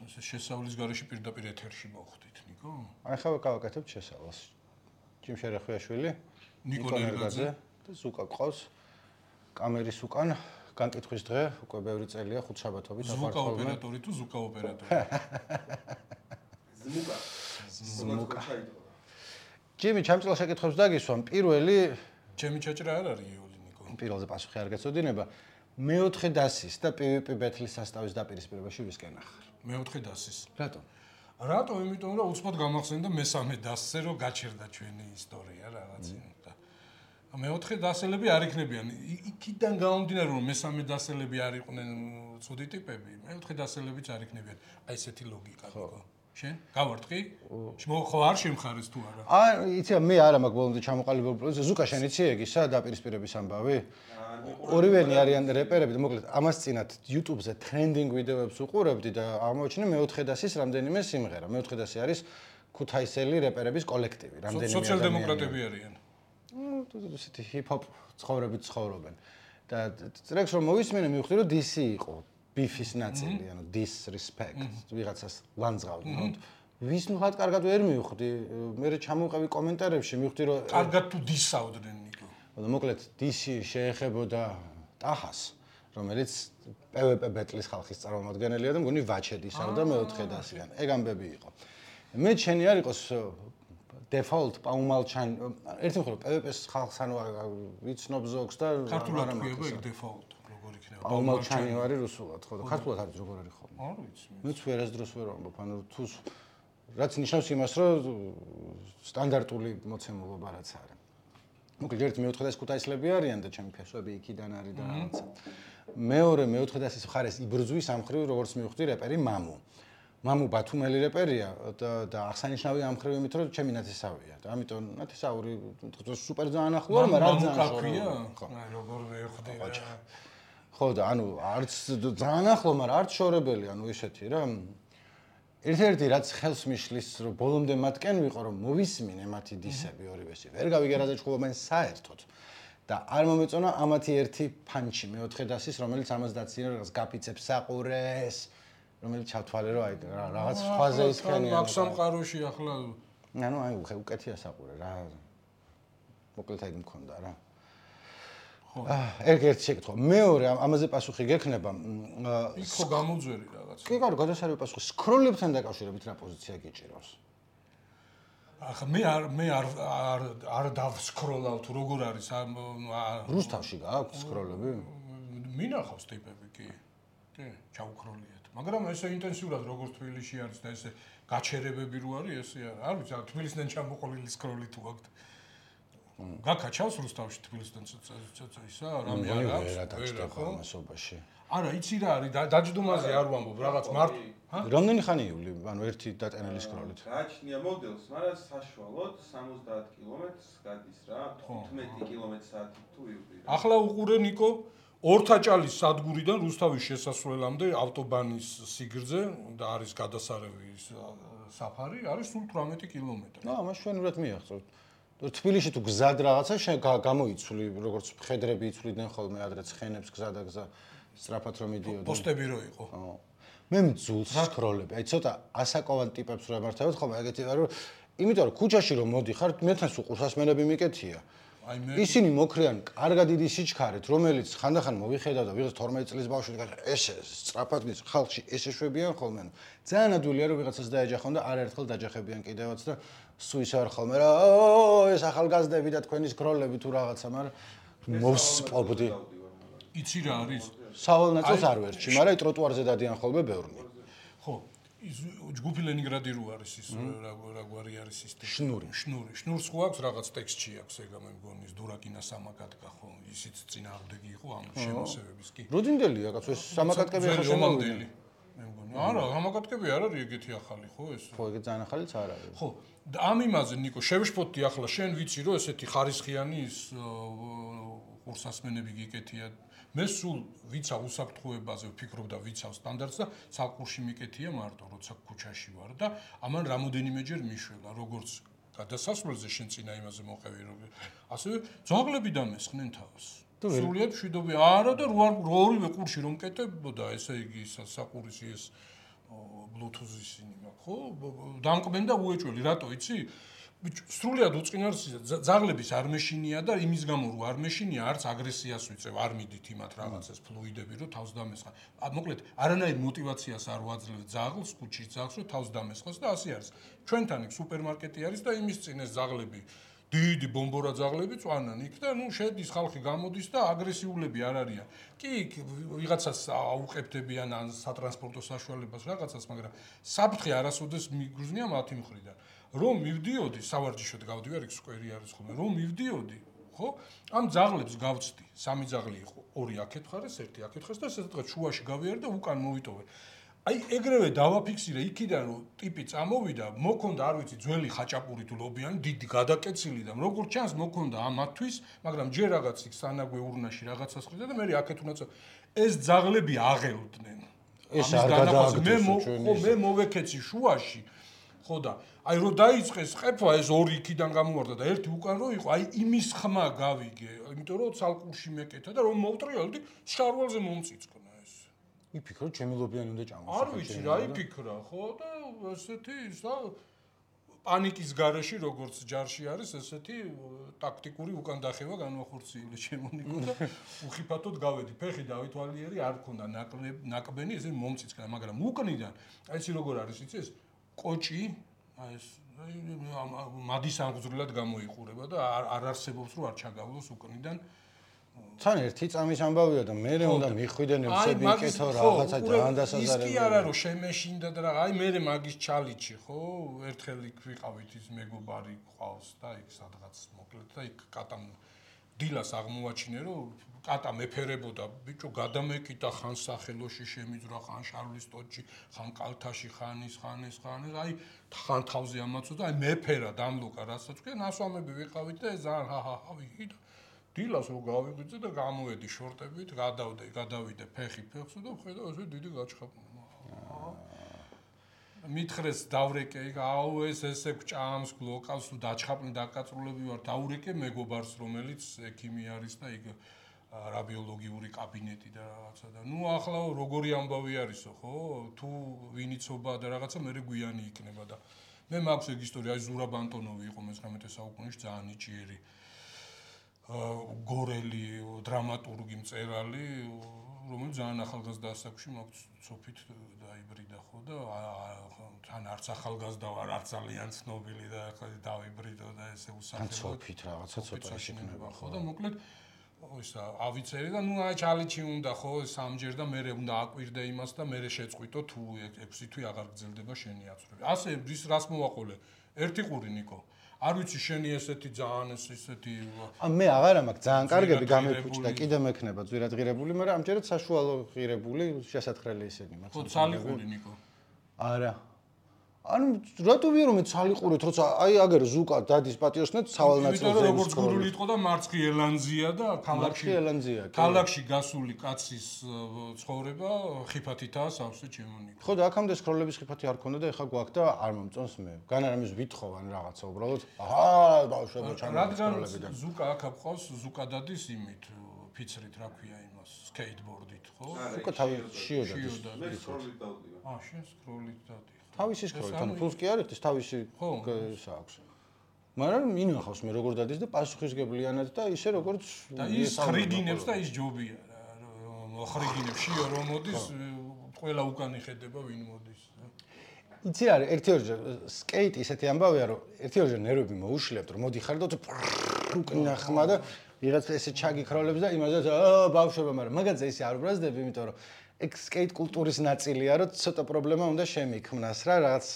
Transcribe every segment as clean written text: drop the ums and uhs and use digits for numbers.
ესე შესავლის გარეშე პირდაპირ ეთერში მოხვდით, ნიკო? აი ხა გავაკეთებთ შესავალს. ჯიმ შერეხვიაშვილი, ნიკო ნერგაძე და ზუკა ყავს. კამერის უკან განკითხვის დღე უკვე ბევრი წელია ხუთშაბათობით ზუკა ოპერატორი თუ ზუკა ოპერატორი? ზმუკა. ჯიმი ჩემწელ შეკითხვებს დაგისვამ. პირველი ჩემი ჩაჭრა არ არის იული ნიკო. პირველზე პასუხი არ გეცოდინება. მეოთხე დასის და PvP ბეთლის სასტავის დაპირისპირებაში ვისკენ ახარ. მეოთხე დასის. რატომ? რატომ? იმიტომ რომ უცბად გამახსენდა მესამე დასზე რომ გაჩერდა ჩვენი ისტორია რაღაც. მეოთხე დასელები არ იქნებიან. იქიდან გამომდინარე რომ მესამე დასელები არ იყვნენ ცუდი ტიპები, მეოთხე დასელებიც არ იქნებიან. აი ესეთი ლოგიკა გიგო. შენ გავარტყი? ხო არ შემხარეს თუ არა? იცი მე არა მაგ ბოლომდე ჩამოყალიბებული პროცესი. ზუკა შენ იცი ეგ ისა დაპირისპირების ამბავი? ორივენი არიან რეპერები და მოკლედ ამას წინათ YouTube-ზე ტრენდინგ ვიდეოებს უყურებდი და აღმოჩინე მეოთხე დასის რამდენიმე სიმღერა. მეოთხე დასი არის ქუთაისელი რეპერების კოლექტივი. რამდენიმე სოციალ-დემოკრატები არიან. ესეთი ჰიპ-ჰოპ ცხოვრებით ცხოვრობენ. და ტრეკს რომ მოვისმინე მივხვდი რომ DC იყო. ბიფის ნაწილი, ანუ disrespect, ვიღაცას ლანძღავდნენ. ვის ნუ კარგად ვერ მივხვდი, მე ჩამოვყევი კომენტარებში, მივხვდი რომ კარგად თუ დისავდნენ ნიკო. და მოკლედ DC შეეხებოდა ტახას, რომელიც PvP ბეტლის ხალხის წარმომადგენელია და მგონი ვაჩედ ისავდა მეოთხე დასიდან. ეგ ამბები იყო. მე შენი არ იყოს default პაუმალჩან, ერთი მხრივ PvP-ს ხალხს ანუ ვიცნობ ზოგს და ქართულად ქვია ეგ default. პაუმალჩანი ვარი რუსულად, ხო და ქართულად არის როგორ არის ხოლმე? არ ვიცი. მეც ვერასდროს ვერ ვამბობ, ანუ თუ რაც ნიშნავს იმას, რომ სტანდარტული მოცემულობა რაც არის. მოკლედ ერთი მეოთხე დასის ქუთაისლები არიან და ჩემი ფესვები იქიდან არის და რაღაცა. მეორე მეოთხე დასის მხარეს იბრძვის ამ მხრივ როგორც მივხვდი რეპერი მამუ. მამუ ბათუმელი რეპერია და აღსანიშნავია ამ მხრივ იმით, რომ ჩემი ნათესავია და ამიტომ ნათესაური სუპერ ძალიან ახლოა, მაგრამ არ ძალიან ხორია. აი როგორ ვეხვდი რა. ხო და ანუ არც ძალიან ახლო, მაგრამ არც შორებელი, ანუ ესეთი რა. ერთ-ერთი რაც ხელს მიშლის, რომ ბოლომდე მათკენ ვიყო, რომ მოვისმინე მათი დისები ორივესი. ვერ გავიგე რა დაჭყობენ საერთოდ. და არ მომეწონა ამათი ერთი ფანჩი მეოთხე დასის, რომელიც ამას დაცინე რაღაც გაფიცებს საყურეს, რომელიც ჩავთვალე რომ აი რაღაც სხვაზე ისქენია. მაგ სამყაროში ახლა ანუ აი უკეთია საყურე რა. მოკლედ აი მქონდა რა. ერთ შეკითხვა. მეორე ამაზე პასუხი გექნება. იქ ხო გამოძვერი რაღაც. კი, კარგი, გადასარევი პასუხი. სკროლებთან დაკავშირებით რა პოზიცია გიჭირავს? ახლა მე არ დავსკროლავ თუ როგორ არის რუსთავში გააქვთ სკროლები? მინახავს ტიპები კი. კი, ჩაუქროლიათ. მაგრამ ესე ინტენსიურად როგორც თბილისში არის და ესე გაჩერებები რო არის, ესე არ ვიცი, თბილისიდან ჩამოყოლილი სკროლი თუ აქვთ. გაკაჩავს რუსთავში თბილისიდან ისა რამე არ აქვს რა დაჭდება მასობაში. არა, იცი რა არის, დაჯდომაზე არ ვამბობ, რაღაც მარტო. რამდენი ხანი იული, ანუ ერთი დატენილი სკროლით? გააჩნია მოდელს, მაგრამ საშუალოდ 70 კილომეტრს გადის რა, 15 კმ/სთ თუ ივრი. ახლა უყურე ნიკო, ორთაჭალის სადგურიდან რუსთავის შესასვლელამდე ავტობანის სიგრძე და არის გადასარევი საფარი, არის სულ 18 კილომეტრი. ამას ჩვენურად მიაღწევთ. თბილისში თუ გზად რაღაცა გამოიცვლი, როგორც მხედრები იცვლიდნენ ხოლმე ადრე ცხენებს გზა და გზა სწრაფად რომ მიდიოდნენ. პოსტები რო იყო. მე მძულს სკროლები. აი ცოტა ასაკოვან ტიპებს რო ემართებოდ ხოლმე ეგეთი ვარ, რომ იმიტომ რომ ქუჩაში რომ მოდიხარ, მეთან სულ ყურსასმენები მიკეთია. ისინი მოქრიან კარგად დიდი სიჩქარით, რომელიც ხანდახან მოვიხედავ და ვიღაც 12 წლის ბავშვი ესე სწრაფად მის ხალხში ესე შვებიან ხოლმე. ძალიან ადვილია რომ ვიღაცას დაეჯახონ და არაერთხელ დაჯახებიან კიდევაც და სულ ისე არ ხოლმე რა ეს ახალგაზრდები და თქვენი სკროლები თუ რაღაცა, მაგრამ მოვსპობდი. იცი რა არის? სავალ ნაწილს არ ვერჩი, მაგრამ ტროტუარზე დადიან ხოლმე ბევრნი. ხო. ჯგუფი ლენინგრადი რო არის ის რა გვარი არის ის შნური. შნურს ხო აქვს რაღაც ტექსტში აქვს ეგა მე მგონი ის დურაკინა სამაკატკა ხო ისიც წინააღმდეგი იყო ამ შემოსევების კი. როდინდელია კაცო ეს სამაკატკები ახლა შემოვიდელი. მე მგონი არა სამაკატკები არ არის ეგეთი ახალი ხო ეს? ხო ეგ ძალიან ახალიც არ არის. ხო და ამ იმაზე ნიკო შევშფოთდი ახლა შენ ვიცი რომ ესეთი ხარისხიანი ის ყურსასმენები გიკეთია. მე სულ ვიცა უსაფრთხოებაზე ვფიქრობ და ვიცავ სტანდარტს და საკურში მიკეთია მარტო როცა ქუჩაში ვარ და ამან რამოდენიმეჯერ მიშველა როგორც გადასასვლელზე შენ წინა იმაზე მოყევი რომ ასევე ძაღლები დამესხნენ თავს სრულიად მშვიდობი არა და ორივე ყურში რომ კეტებოდა ესე იგი საკურისი ეს Bluetooth-ის ისინი მაქვს, ხო? დამკბენ და უეჭველი, რატო იცი? სრულიად უწყინარსია, ძაღლების არ მეშინია და იმის გამო რომ არ მეშინია, არც აგრესიას ვიწევ, არ მიდით იმათ რაღაცას ფლუიდები, რომ თავს დამესხა. მოკლედ, არანაირ мотиваციას არ ვაძლევ ძაღლს, კუჩის ძაღლს, რომ თავს დამესხოს და ასე არის. ჩვენთან იქ სუპერმარკეტი არის და იმის წინ ეს ძაღლები დიდი ბომბორა ძაღლები წვანან იქ და შედის ხალხი გამოდის და აგრესიულები არ არიან. კი, ვიღაცას აუყებდებიან ან სატრანსპორტო საშუალებას რაღაცას, მაგრამ საფრთხე არასოდეს მიგრძნია მათი მხრიდან. რომ მივდიოდი, სავარჯიშოდ გავდივარ, იქ სკვერი არის ხოლმე. რომ მივდიოდი, ხო? ამ ძაღლებს გავწდი, 3 ძაღლი იყო, 2 აქეთ ხარეს, 1 აქეთ ხარეს და ესე თქვა შუაში გავიარე და უკან მოვიტოვე. აი ეგრევე დავაფიქსირე იქიდან რომ ტიპი წამოვიდა, მოქონდა არ ვიცი ძველი ხაჭაპური თუ ლობიანი, დიდი გადაკეცილი და როგორც ჩანს მოქონდა ამათვის, მაგრამ ჯერ რაღაც იქ სანაგვე ურნაში რაღაცას ხრიდა და მე აქეთ უნდა ეს ძაღლები აღელდნენ. ეს არ გადააგდოს მე მოვეკეცი შუაში. ხო და აი რომ დაიწყეს ყეფვა ეს 2 იქიდან გამოვარდა და 1 უკან რო იყო, აი იმის ხმა გავიგე, იმიტომ რომ ცალკურში მეკეთა და რომ მოვტრიალდი, შარვალზე მომწიწკნა ეს. იფიქრო ჩემი ლობიანი უნდა ჭამოს. არ ვიცი რა იფიქრა, ხო და ესეთი ისა პანიკის გარეშე როგორც ჯარში არის, ესეთი ტაქტიკური უკან დახევა განვახორციელე ჩემონიკო და უხიფათოდ გავედი. ფეხი დავითვალიერი, არ მქონდა ნაკბენი, ესე მომწიწკნა, მაგრამ უკნიდან, აი იცი როგორ არის იცი ეს კოჭი, აი ეს მადის აღძრულად გამოიყურება და არ არსებობს რომ არ ჩაგავლოს უკნიდან. თან ერთი წამის ამბავია და მე უნდა მიხვიდენ ევსები იკეთო რაღაცა ძალიან დასაზარებელი. ის კი არა რომ შემეშინდა და აი მე მაგის ჩალიჩი, ხო? ერთხელ იქ ვიყავით ის მეგობარი ყავს და იქ სადღაც მოკლედ და იქ კატამ დილას აღმოაჩინე რომ კატა მეფერებოდა, ბიჭო გადამეკიდა ხან სახელოში შემიძრა, ხან შარლის ტოჩი, ხან კალთაში, ხან ის, აი ხან თავზე ამაცოდა, აი მეფერა დამლოკა, რასაც თქვენ, ასვამები ვიყავით და ეს ძალიან ჰაჰაჰავი და დილას რო გავიღვიძე და გამოვედი შორტებით, გადავიდე ფეხი ფეხს და ხედავ ესე დიდი გაჩხაპნა. მითხრეს დავრეკე იქ, აუ ეს ესე გჭამს, გლოკავს, თუ დაჩხაპნი დაკაწრულები ვარ, დავრეკე მეგობარს, რომელიც ექიმი არის და იქ რადიოლოგიური კაბინეტი და რაღაცა და ნუ ახლა როგორი ამბავი არისო, ხო? თუ ვინიცობა და რაღაცა მე გვიანი იქნება და მე მაქვს ეგ ისტორია, აი ზურაბ ანტონოვი იყო მე-19 საუკუნეში ძალიან ნიჭიერი გორელი დრამატურგი მწერალი, რომელიც ძალიან ახალგაზრდა ასაკში მაქვს ცოფით დაიბრიდა ხო და თან არც ახალგაზრდა ვარ, არც ძალიან ცნობილი და ახლა დავიბრიდო და ესე უსახელო. ცოფით რაღაცა ცოტა შექნება ხო და მოკლედ ისა ავიცერი და ნუ აი ჩალიჩი უნდა ხო სამჯერ და მე უნდა აკვირდე იმას და მე შეწყვიტო თუ 6 თვე აღარ გრძელდება შენი აცრუვი. ასე ის რას მოვაყოლე? ერთი ყური ნიკო. არ ვიცი შენი ესეთი ძალიან ესეთი მე აღარა მაქვს ძალიან კარგები გამეფუჭდა კიდე მექნება ძვირად ღირებული, მაგრამ ამჯერად საშუალო ღირებული შესაძხრელი ისინი მაქვს. ხო ცალი ყური ნიკო. არა. ანუ რატო ვიარო მე ცალი ყურით, როცა აი აგერ ზუკა დადის პატიოსნეთ სავალ ნაწილზე. იმიტომ რომ როგორც გურული იყო და მარცხი ელანზია და ქალაქში გასული კაცის ცხოვრება ხიფათითაა სავსე ჩემონიკო. ხო და აქამდე სკროლების ხიფათი არ ქონდა და ეხა გვაქვს და არ მომწონს მე. განარამის ვითხოვ ან რაღაცა უბრალოდ ბავშვებო რადგან ზუკა აქ ყავს, ზუკა დადის იმით ფიცრით რა ქვია იმას, სკეიტბორდით, ხო? ზუკა თავი შიოდა. მე სკროლით დავდივარ. შენ სკროლით დადი. თავისი სკროლით, ანუ ფულს კი არ ეხტის, თავისი ის აქვს. მაგრამ ინახავს მე როგორ დადის და პასუხისგებლიანად და ისე როგორც და ის ხრიგინებს და ის ჯობია რა. ხრიგინებს შიო რომ მოდის, ყველა უკან იხედება ვინ მოდის. იცი არის ერთ-ერთი სკეიტი ისეთი ამბავია რომ ერთ-ერთი ნერვები მოუშლებთ რომ მოდიხარ და უკნა ხმა და ვიღაც ესე ჩაგიქროლებს და იმაზე ბავშვობა, მაგრამ მაგაზე ისე არ უბრაზდები, იმიტომ რომ ეგ სკეიტ კულტურის ნაწილია, რომ ცოტა პრობლემა უნდა შემიქმნას რა, რაღაც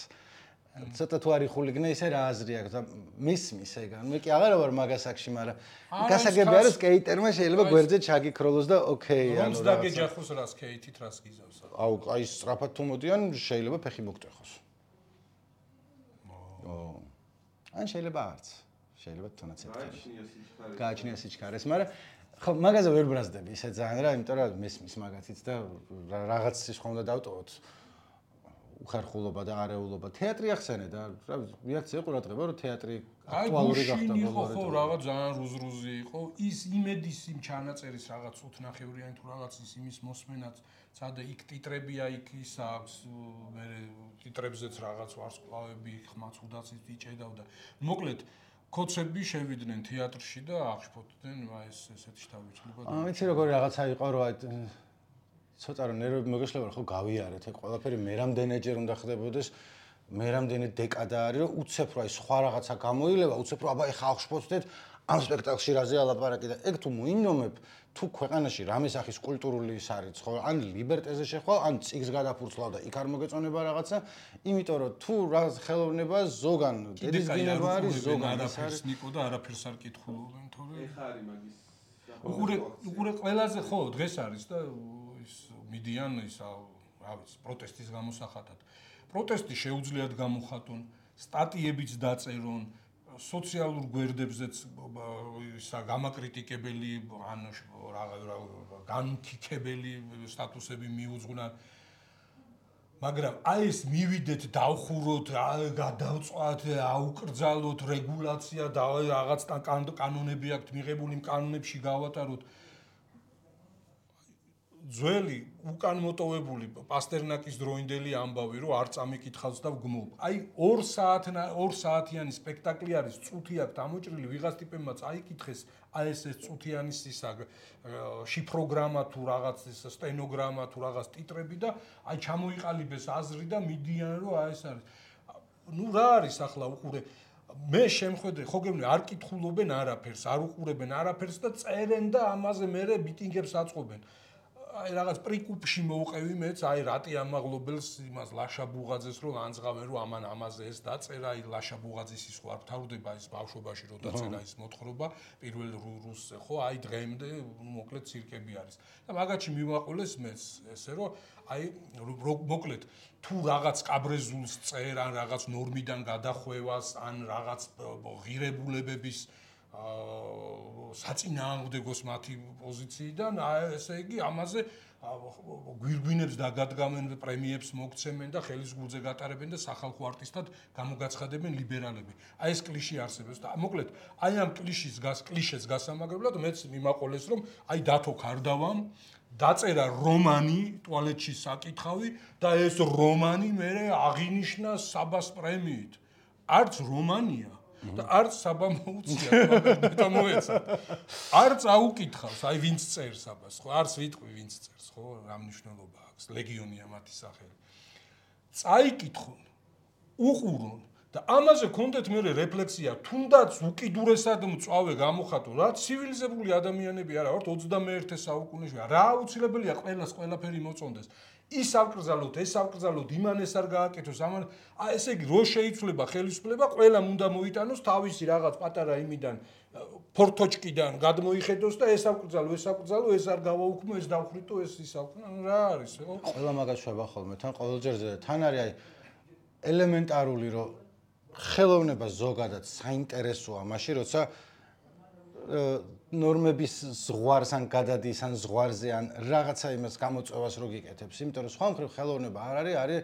ცოტა თუ არის ხულიგნე ისე რა აზრი აქვს და მისმის ეგან. მე კი აღარა ვარ მაგასაკში, მაგრამ გასაგები არის სკეიტერმა შეიძლება გვერდზე ჩაგიქროლოს და ოკეი, ანუ რა. რომს დაგეჯახოს რა სკეიტით რას გიზავს? აუ, აი სწრაფად თუ მოდიან, შეიძლება ფეხი მოგტეხოს. ან შეიძლება არც. შეიძლება თუნდაც ერთად. გააჩნია სიჩქარეს, მაგრამ ხო, მაგაზე ვერ ბრაზდები ისე ძალიან რა, იმიტომ რომ მესმის მაგათიც და რაღაც სხვა უნდა დავტოვოთ. უხერხულობა და არეულობა. თეატრი ახსენე და რა რეაქცია ყურადღება რომ თეატრი აქტუალური გახდა ბოლომდე. ხო, რაღაც ძალიან რუზრუზი იყო. ის იმედის იმ ჩანაწერის რაღაც უთხნახევრიანი თუ რაღაც ის იმის მოსმენაც, სადა იქ ტიტრებია იქ ის აქვს, მე ტიტრებზეც რაღაც ვარსკვლავები ხმაც უდაცით იჭედავდა. მოკლედ კოცები შევიდნენ თეატრში და აღშფოთდნენ ესეთი თავისუფლება. ვიცი როგორი რაღაცა იყო რა ცოტა რომ ნერვები მოგეშლება ხო გავიარეთ ეგ ყველაფერი მე რამდენჯერ უნდა ხდებოდეს მე რამდენი დეკადა არის რომ უცებ რა სხვა რაღაცა გამოილება უცებ რა აბა ეხა აღშფოთდეთ ამ სპექტაკლში რაზეა ლაპარაკი და ეგ თუ მოინდომებ თუ ქვეყანაში რამე სახის კულტურული ის არის ხო ან ლიბერტეზე შეხვალ ან წიგს გადაფურცლავ და იქ არ მოგეწონება რაღაცა იმიტომ რომ თუ რა ხელოვნება ზოგან დედის გინება არის ზოგან არაფერს ნიკო და არაფერს არ კითხულობენ თორე ეხა არის მაგის უყურე ყველაზე ხო დღეს არის და ის მიდიან ის რა ვიცი პროტესტის გამოსახატად პროტესტი შეუძლიათ გამოხატონ სტატიებიც დაწერონ სოციალურ გვერდებზეც ისა გამაკრიტიკებელი ან განმქიქებელი სტატუსები მიუძღვნან მაგრამ აი ეს მივიდეთ დავხუროთ გადავწვათ აუკრძალოთ რეგულაცია და რაღაც კანონები აქვთ მიღებული კანონებში გავატაროთ ძველი უკან მოტოვებული პასტერნაკის დროინდელი ამბავი რომ არ წამიკითხავს და ვგმობ. აი 2 საათიანი სპექტაკლი არის, წუთი აქვს ამოჭრილი, ვიღაც ტიპებმაც აიკითხეს, აი ეს წუთიანი ისა შიფროგრამა თუ რაღაც სტენოგრამა თუ რაღაც ტიტრები და აი ჩამოიყალიბეს აზრი და მიდიან რომ აი ეს არის. ნუ რა არის ახლა უყურე მე შემხედე ხო გეუბნები არ კითხულობენ არაფერს, არ უყურებენ არაფერს და წერენ და ამაზე მერე მიტინგებს აწყობენ. აი რაღაც პრიკუპში მოუყევი მეც აი რატი ამაღლობელს იმას ლაშა ბუღაძეს რომ ანძღავენ რომ ამან ამაზე ეს დაწერა აი ლაშა ბუღაძის ის ხო არ თავდება ის ბავშვობაში რომ დაწერა ის მოთხრობა პირველ რუსზე ხო აი დღემდე მოკლედ ცირკები არის და მაგაჩი მივაყოლეს მეც ესე რომ აი მოკლედ თუ რაღაც კაბრეზულს წერ ან რაღაც ნორმიდან გადახვევას ან რაღაც ღირებულებების საწინააღმდეგოს მათი პოზიციიდან ესე იგი ამაზე გვირგვინებს დაგადგამენ პრემიებს მოგცემენ და ხელის გულზე გატარებენ და სახალხო არტისტად გამოგაცხადებენ ლიბერალები. აი ეს კლიშე არსებობს და მოკლედ აი ამ კლიშეს გასამაგრებლად მეც მიმაყოლეს რომ აი დათო ქარდავამ დაწერა რომანი ტუალეტში საკითხავი და ეს რომანი მე აღინიშნა საბას პრემიით. არც რომანია და არც საბა მოუწია და მოეცა. არც აუკითხავს, აი ვინც წერს აბას, ხო? არც ვიტყვი ვინც წერს, ხო? რა მნიშვნელობა აქვს? ლეგიონია მათი სახელი. წაიკითხონ, უყურონ და ამაზე კონდეთ მე რეფლექსია, თუნდაც უკიდურესად მწვავე გამოხატონ, რა ცივილიზებული ადამიანები არა ვართ 21 საუკუნეში. რა აუცილებელია ყველას ყველაფერი მოწონდეს. ის ავკრძალოთ, ეს ავკრძალოთ, იმან ეს არ გააკეთოს, ამან ესე იგი რო შეიცვლება ხელისუფლება, ყველამ უნდა მოიტანოს თავისი რაღაც პატარა იმიდან ფორთოჩკიდან გადმოიხედოს და ეს ავკრძალო, ეს არ გავაუქმო, ეს დავხრიტო, ეს ის ავკრძალო, რა არის, ხო? ყველა მაგას შვება ხოლმე, თან ყოველჯერზე თან არის აი ელემენტარული რომ ხელოვნება ზოგადად საინტერესოა, მაშინ როცა ნორმების ზღვარს ან გადადის ან ზღვარზე ან რაღაცა იმას გამოწვევას რო გიკეთებს, იმიტომ რომ სხვა მხრივ ხელოვნება არ არის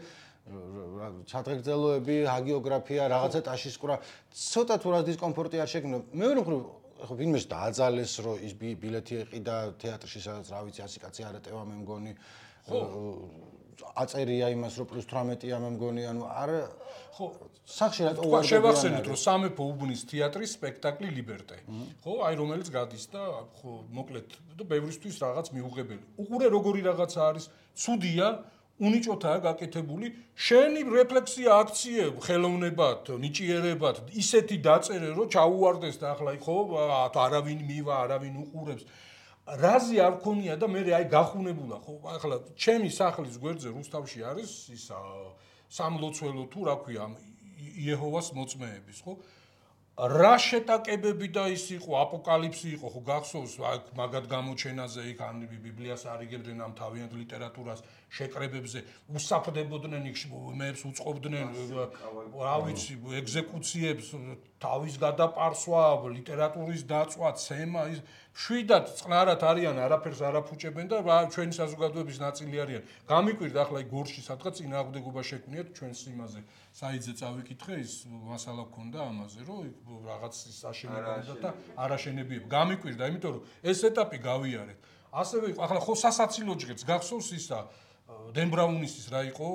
ჩადღეგრძელოები, ჰაგიოგრაფია, რაღაცა ტაშისკვრა, ცოტა თუ რა დისკომფორტი არ შეგნო. მეორე მხრივ ხო ვინმეს დააძალეს რომ ის ბილეთი ეყიდა თეატრში სადაც რა ვიცი 100 კაცი არატევა მე მგონი. ხო აწერია იმას რომ +18-ია მე მგონი, ანუ არ ხო სახში რატო ვარ შევახსენოთ რომ სამეფო უბნის თეატრის სპექტაკლი ლიბერტე ხო აი რომელიც გადის და ხო მოკლედ და ბევრისთვის რაღაც მიუღებელი უყურე როგორი რაღაცა არის ცუდია უნიჭოთაა გაკეთებული შენი რეფლექსია აქციე ხელოვნებად ნიჭიერებად ისეთი დაწერე რომ ჩაუვარდეს და ახლა ხო არავინ მივა არავინ უყურებს რაზი არ ქონია და მე აი გახუნებულა ხო ახლა ჩემი სახლის გვერდზე რუსთავში არის ისა სამლოცველო თუ რა ქვია იეჰოვას მოწმეების ხო რა შეტაკებები და ის იყო აპოკალიფსი იყო ხო გახსოვს მაგად გამოჩენაზე იქ ან ბიბლიას არიგებდნენ ამ თავიანთ ლიტერატურას შეკრებებზე უსაფრდებოდნენ იქ მეებს უწყობდნენ რა ვიცი ეგზეკუციებს თავის გადაპარსვა ლიტერატურის დაწვა ცემა ის შვიდად წყნარად არიან არაფერს არაფუჭებენ და ჩვენი საზოგადოების ნაწილი არიან გამიკვირდა ახლა იქ გორში სადღაც წინააღმდეგობა შექმნიათ ჩვენს იმაზე საიძე წავიკითხე ის მასალა გქონდა ამაზე რომ რაღაც ის აშენებდა და არაშენებიებ გამიკვირდა იმიტომ რომ ეს ეტაპი გავიარეთ ასევე ახლა ხო სასაცილო ჯგეთს გახსოვს ისა დენ ბრაუნის რა იყო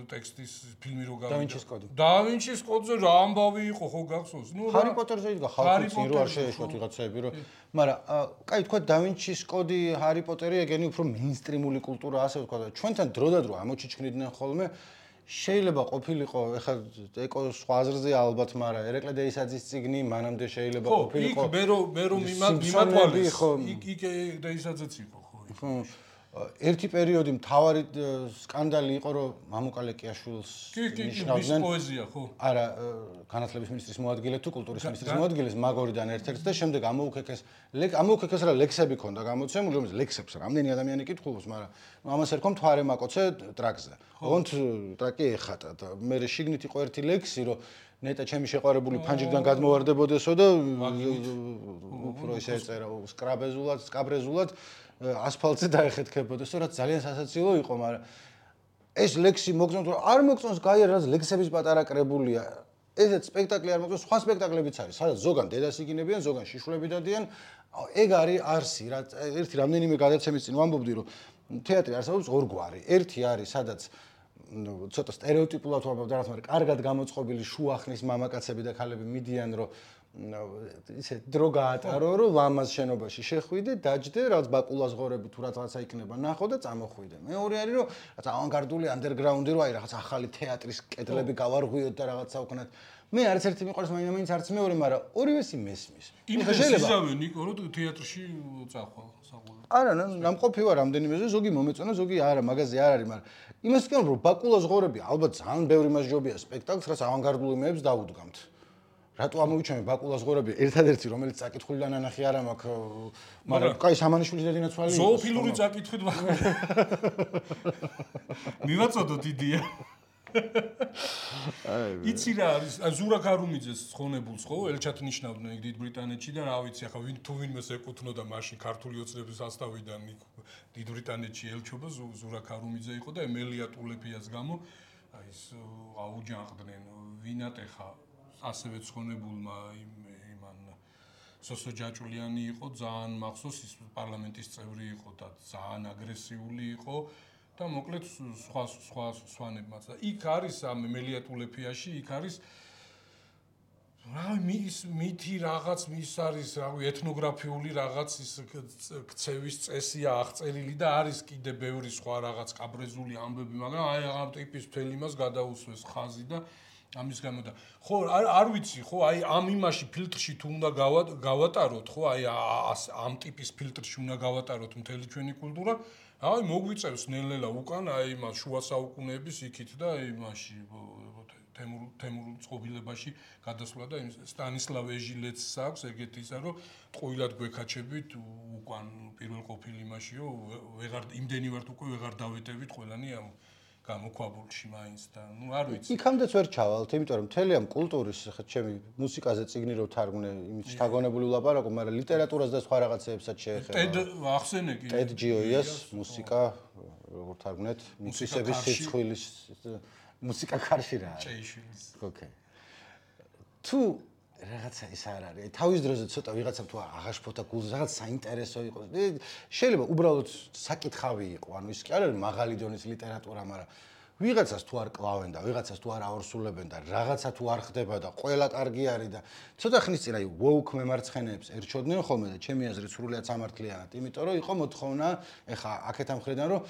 ტექსტის ფილმი რო გავიდა. დავინჩის კოდი. დავინჩის კოდზე რა ამბავი იყო ხო გახსოვს? ნუ ჰარი პოტერზე იდგა ხალხი წინ რო არ შეეშვათ ვიღაცები რომ მაგრამ კაი თქვა დავინჩის კოდი ჰარი პოტერი ეგენი უფრო მეინსტრიმული კულტურა ასე ვთქვა და ჩვენთან დროდადრო ამოჩიჩქნიდნენ ხოლმე შეიძლება ყოფილიყო ეხლა ეკო სხვა აზრზეა ალბათ მაგრამ ერეკლე დეისაძის წიგნი მანამდე შეიძლება ყოფილიყო ხო იქ მე რომ მიმათვალეს იქ დეისაძეც იყო ხო ერთი პერიოდი მთავარი სკანდალი იყო რომ მამუკა ლეკიაშვილს ნიშნავდნენ პოეზია ხო არა განათლების მინისტრის მოადგილე თუ კულტურის მინისტრის მოადგილეს მაგორიდან ერთ-ერთი და შემდეგ ამოუქეკეს რა ლექსები ქონდა გამოცემული რომელიც ლექსებს რამდენი ადამიანი კითხულობს მაგრამ ამას ერქვა მთვარე მაკოცე ტრაკზე ოღონდ ტრაკი ეხატა და მე შიგნით იყო ერთი ლექსი რომ ნეტა ჩემი შეყვარებული ფანჯრიდან გადმოვარდებოდესო და უფრო ისე ეწერა სკაბრეზულად ასფალტზე დაეხეთქებოდესო რაც ძალიან სასაცილო იყო მაგრამ ეს ლექსი მოგწონს რომ არ მოგწონს გაიარ რაც ლექსების პატარა კრებულია ესეც სპექტაკლი არ მოგწონს სხვა სპექტაკლებიც არის სადაც ზოგან დედას იგინებიან ზოგან შიშვლები დადიან ეგ არის არსი რა ერთი რამდენიმე გადაცემის წინ ვამბობდი რომ თეატრი არსებობს ორგვარი ერთი არის სადაც ცოტა სტერეოტიპულად ვამბობ და რაც მაგრამ კარგად გამოწყობილი შუახნის მამაკაცები და ქალები მიდიან რომ ისე დრო გაატარო რომ ლამაზ შენობაში შეხვიდე დაჯდე რაც ბაკულას ღორები თუ რაღაცა იქნება ნახო და წამოხვიდე მეორე არის რომ რაღაც ავანგარდული ანდერგრაუნდი რო აი რაღაც ახალი თეატრის კედლები გავარღვიოთ და რაღაცა ვქნათ მე არც ერთი მიყვარს მაინც არც მეორე მაგრამ ორივესი მესმის შეიძლება ნიკო რომ თეატრში წახვალ საყოველთაოდ არა ნამყოფი ვარ რამდენიმეზე ზოგი მომეწონა ზოგი არა მაგაზე არ არის მაგრამ იმას ვქენ რომ ბაკულას ღორები ალბათ ძალიან ბევრი მასჯობია სპექტაკლს რაც ავანგარდული მეებს დაუდგამთ რატო ამოვიჩამე ბაკულას ღორები ერთადერთი რომელიც წაკითხულიდან ანახი არ მაქვს მაგრამ კაი სამანიშვილის დედინაცვალი ზოოფილური წაკითხვით მივაწოდოთ იდეა იცი რა არის ზურაქ არუმიძეს ხონებულს ხო ელჩათ ნიშნავდნენ ეგ დიდ ბრიტანეთში და რა ვიცი ახლა ვინ თუ ვინმეს ეკუთვნოდა მაშინ ქართული ოცნების ასწავიდან დიდ ბრიტანეთში ელჩობა ზურაქ არუმიძე იყო და ემელია ტულეფიას გამო აი ეს აუჯანყდნენ ვინატეხა ასევე ცხონებულმა იმან სოსო ჯაჭულიანი იყო ძალიან მახსოვს ის პარლამენტის წევრი იყო და ძალიან აგრესიული იყო და მოკლედ სხვა სვანებმაც და იქ არის ამ ემელია ტულეფიაში იქ არის რა მითი რაღაც მის არის რავი ეთნოგრაფიული რაღაც ის ქცევის წესია აღწერილი და არის კიდე ბევრი სხვა რაღაც კაბრეზული ამბები მაგრამ აი ამ ტიპის მთელი იმას გადაუსვეს ხაზი და ამის გამო და ხო არ ვიცი ხო აი ამ იმაში ფილტრში თუ უნდა გავატაროთ ხო აი ამ ტიპის ფილტრში უნდა გავატაროთ მთელი ჩვენი კულტურა აი მოგვიწევს ნელ-ნელა უკან აი მას შუა საუკუნეების იქით და იმაში თემურ წყობილებაში გადასვლა და სტანისლავ ეჟილეცს აქვს ეგეთი ისა რომ ტყუილად გვეკაჩებით უკან პირველ ყოფილ იმაშიო ვეღარ იმდენი ვართ უკვე ვეღარ დავეტევით ყველანი ამ გამოქვაბულში მაინც და ნუ არ ვიცი. იქამდეც ვერ ჩავალთ, იმიტომ რომ მთელი ამ კულტურის ხა ჩემი მუსიკაზე წიგნი რო თარგმნე, იმის შთაგონებული ვლაპარაკო, მაგრამ ლიტერატურას და სხვა რაღაცეებსაც შეეხება. ტედ ახსენე კი. ტედ ჯიოიას მუსიკა როგორ თარგმნეთ? მუსიკების სიცხვილის მუსიკა კარში რა. ჭეიშვილის. ოკეი. თუ რაღაცა ის არ არის. თავის დროზე ცოტა ვიღაცამ თუ აღაშფოთა გულზე რაღაც საინტერესო იყოს. შეიძლება უბრალოდ საკითხავი იყო. ანუ ის კი არ არის მაღალი დონის ლიტერატურა, მაგრამ ვიღაცას თუ არ კლავენ და ვიღაცას თუ არ აორსულებენ და რაღაცა თუ არ ხდება და ყველა კარგი არის და ცოტა ხნის წინ აი woke მემარცხენეებს ერჩოდნენ ხოლმე და ჩემი აზრით სრულიად სამართლიანად, იმიტომ რომ იყო მოთხოვნა, ეხა აქეთა მხრიდან რომ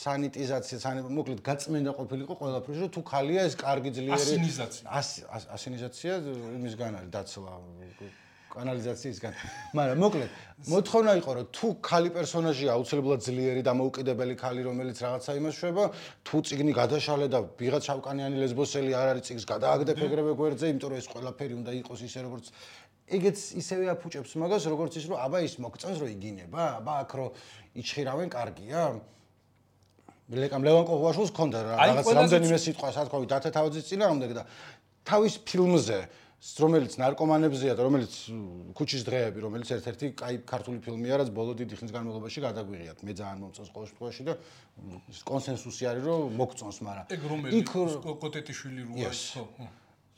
სანიტიზაცია, მოკლედ გაწმენდა ყოფილიყო ყველაფერში, რომ თუ ხალია ეს კარგი ძლიერი ასინიზაცია იმისგან არის დაცვა კანალიზაციისგან. მაგრამ მოკლედ მოთხოვნა იყო რომ თუ ხალი პერსონაჟია აუცილებლად ძლიერი და მოუკიდებელი ხალი რომელიც რაღაცა იმას შვება, თუ წიგნი გადაშალე და ვიღაც შავკანიანი ლესბოსელი არ არის წიგნს გადააგდე ფეგრევე გვერდზე, იმიტომ რომ ეს ყველაფერი უნდა იყოს ისე როგორც ეგეც ისევე აფუჭებს მაგას როგორც ის რომ აბა ის მოგწონს რომ იგინება, აბა აქ რომ იჩხირავენ კარგია. ლეკამ ლევან კოღუაშვილს ჰქონდა რაღაც რამდენიმე სიტყვა სათქოვი დათე თავაძის წინააღმდეგ და თავის ფილმზე რომელიც ნარკომანებზეა და რომელიც ქუჩის დღეები რომელიც ერთ-ერთი კაი ქართული ფილმია რაც ბოლო დიდი ხნის განმავლობაში გადაგვიღიათ მე ძალიან მომწონს ყოველ შემთხვევაში და კონსენსუსი არის რომ მოგწონს მაგრამ ეგ რომელი კოტეტიშვილი როა ხო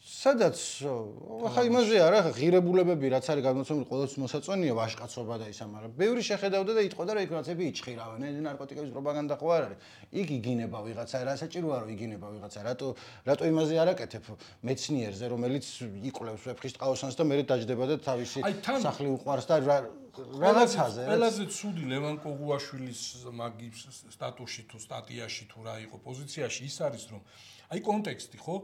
სადაც ახლა იმაზე არა, ღირებულებები რაც არის გადმოცემული ყოველთვის მოსაწონია ვაჟკაცობა და ისა, მაგრამ ბევრი შეხედავდა და იტყოდა რა იქ რაღაცები იჭხირავენ, ნარკოტიკების პროპაგანდა ხო არ არის. იქ იგინება ვიღაცა, რა საჭიროა რომ იგინება ვიღაცა, რატო იმაზე არ აკეთებ მეცნიერზე, რომელიც იკვლევს ვეფხისტყაოსანს და მერე დაждდება და თავისი სახლი უყვარს და რაღაცაზე. ყველაზე ცუდი ლევან კოღუაშვილის მაგის სტატუსში თუ სტატიაში თუ რა იყო პოზიციაში ის არის რომ აი კონტექსტი ხო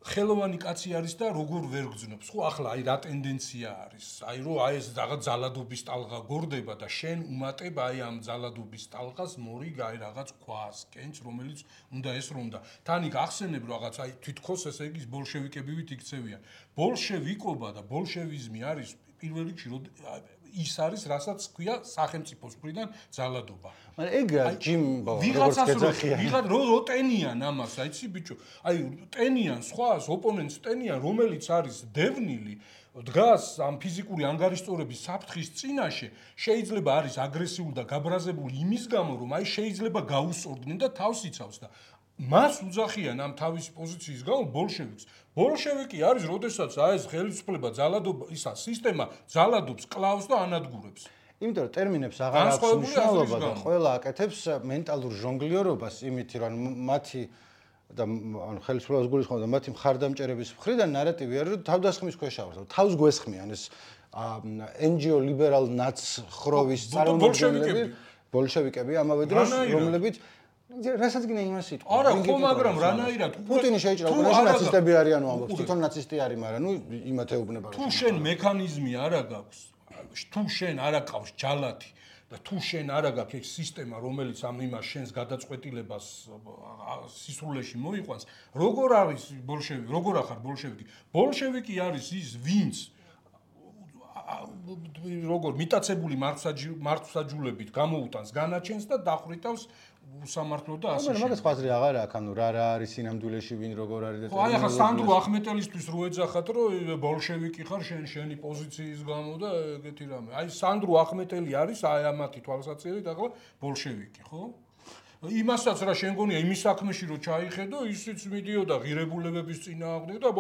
ხელოვანი კაცი არის და როგორ ვერ გძნობს ხო ახლა აი რა ტენდენცია არის აი რომ აი ეს რაღაც ძალადობის ტალღა გორდება და შენ უმატებ აი ამ ძალადობის ტალღას მორიგ აი რაღაც ქვას კენჭ რომელიც უნდა ესრომდა თან იქ ახსენებ რაღაც აი თვითქოს ესე იგი ბოლშევიკებივით იქცევიან ბოლშევიკობა და ბოლშევიზმი არის პირველ რიგში ის არის რასაც ქვია სახელმწიფოს მხრიდან ძალადობა. მაგრამ ეგ ჯიმბო როგორც გეძახიან. ვიღაც რო ტენიან ამას, აიცი ბიჭო. აი ტენიან სხვას ოპონენტს ტენიან, რომელიც არის დევნილი, დგას ამ ფიზიკური ანგარიშწორების საფრთხის წინაშე, შეიძლება არის აგრესიული და გაბრაზებული იმის გამო, რომ აი შეიძლება გაუსწორდნენ და თავს იცავს და მას უძახიან ამ თავისი პოზიციის გამო ბოლშევიკს. ბოლშევიკი არის, როდესაც აი ეს ხელისუფლება ძალადობა, ისა სისტემა ძალადობს, კლავს და ანადგურებს. იმიტომ რომ ტერმინებს აღარ აქვს მნიშვნელობა და ყველა აკეთებს მენტალურ ჟონგლიორობას იმით, რომ მათი და ანუ ხელისუფლებას გულისხმობ და მათი მხარდამჭერების მხრიდან ნარატივი არის, რომ თავდასხმის ქვეშ ავართ, თავს გვესხმიან ეს NGO ლიბერალ ნაცხროვის წარმომადგენლები, ბოლშევიკები ამავე დროს, რომლებიც რასაც გინდა იმას იტყვი. არა, ხო, მაგრამ რანაირად პუტინი შეიჭრა უკრაინაში ნაცისტები არიანო ამბობს, თვითონ ნაცისტი არის, მაგრამ ნუ იმათ ეუბნება. თუ შენ მექანიზმი არა გაქვს, თუ შენ არა ყავს ჯალათი და თუ შენ არა გაქვს ეს სისტემა, რომელიც ამ იმას შენს გადაწყვეტილებას სისრულეში მოიყვანს, როგორ არის ბოლშევიკი, როგორ ახარ ბოლშევიკი? ბოლშევიკი არის ის, ვინც როგორ მიტაცებული მართვსაჯულებით გამოუტანს განაჩენს და დახვრიტავს უსამართლო და ასე. მაგრამ მაგას ხაზრი აღარ აქვს, ანუ რა არის სინამდვილეში ვინ როგორ არის და ხო, აი ახლა სანდრო ახმეტელისთვის რო ეძახათ, რომ ბოლშევიკი ხარ შენი პოზიციის გამო და ეგეთი რამე. აი სანდრო ახმეტელი არის აი ამათი თვალსაჩინით ახლა ბოლშევიკი, ხო? იმასაც რა შენ გონია იმის საქმეში რო ჩაიხედო, ისიც მიდიოდა ღირებულებების წინააღმდეგ და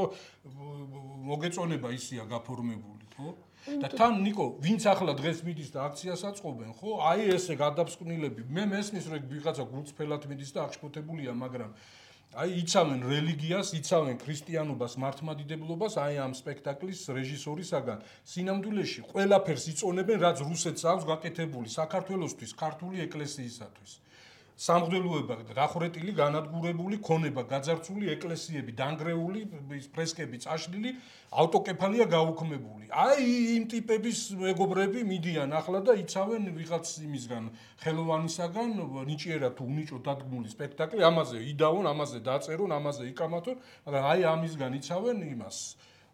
მოგეწონება ისია გაფორმებული, ხო? და თან ნიკო, ვინც ახლა დღეს მიდის და აქციას აწყობენ, ხო? აი ესე გადაბსკვნილები. მე მესმის რომ ვიღაცა გულწრფელად მიდის და აღშფოთებულია, მაგრამ აი იცავენ რელიგიას, იცავენ ქრისტიანობას, მართლმადიდებლობას, აი ამ სპექტაკლის რეჟისორისაგან. სინამდვილეში ყველაფერს იწონებენ, რაც რუსეთს აქვს გაკეთებული საქართველოსთვის, ქართული ეკლესიისათვის. სამღვდელოება გახვრეტილი, განადგურებული, ქონება გაძარცული, ეკლესიები დანგრეული, ფრესკები წაშლილი, ავტოკეფალია გაუქმებული. აი იმ ტიპების მეგობრები მიდიან ახლა და იცავენ ვიღაც იმისგან, ხელოვანისაგან, ნიჭიერად თუ უნიჭო დადგმული სპექტაკლი, ამაზე იდაონ, ამაზე დაწერონ, ამაზე იკამათონ, მაგრამ აი ამისგან იცავენ იმას.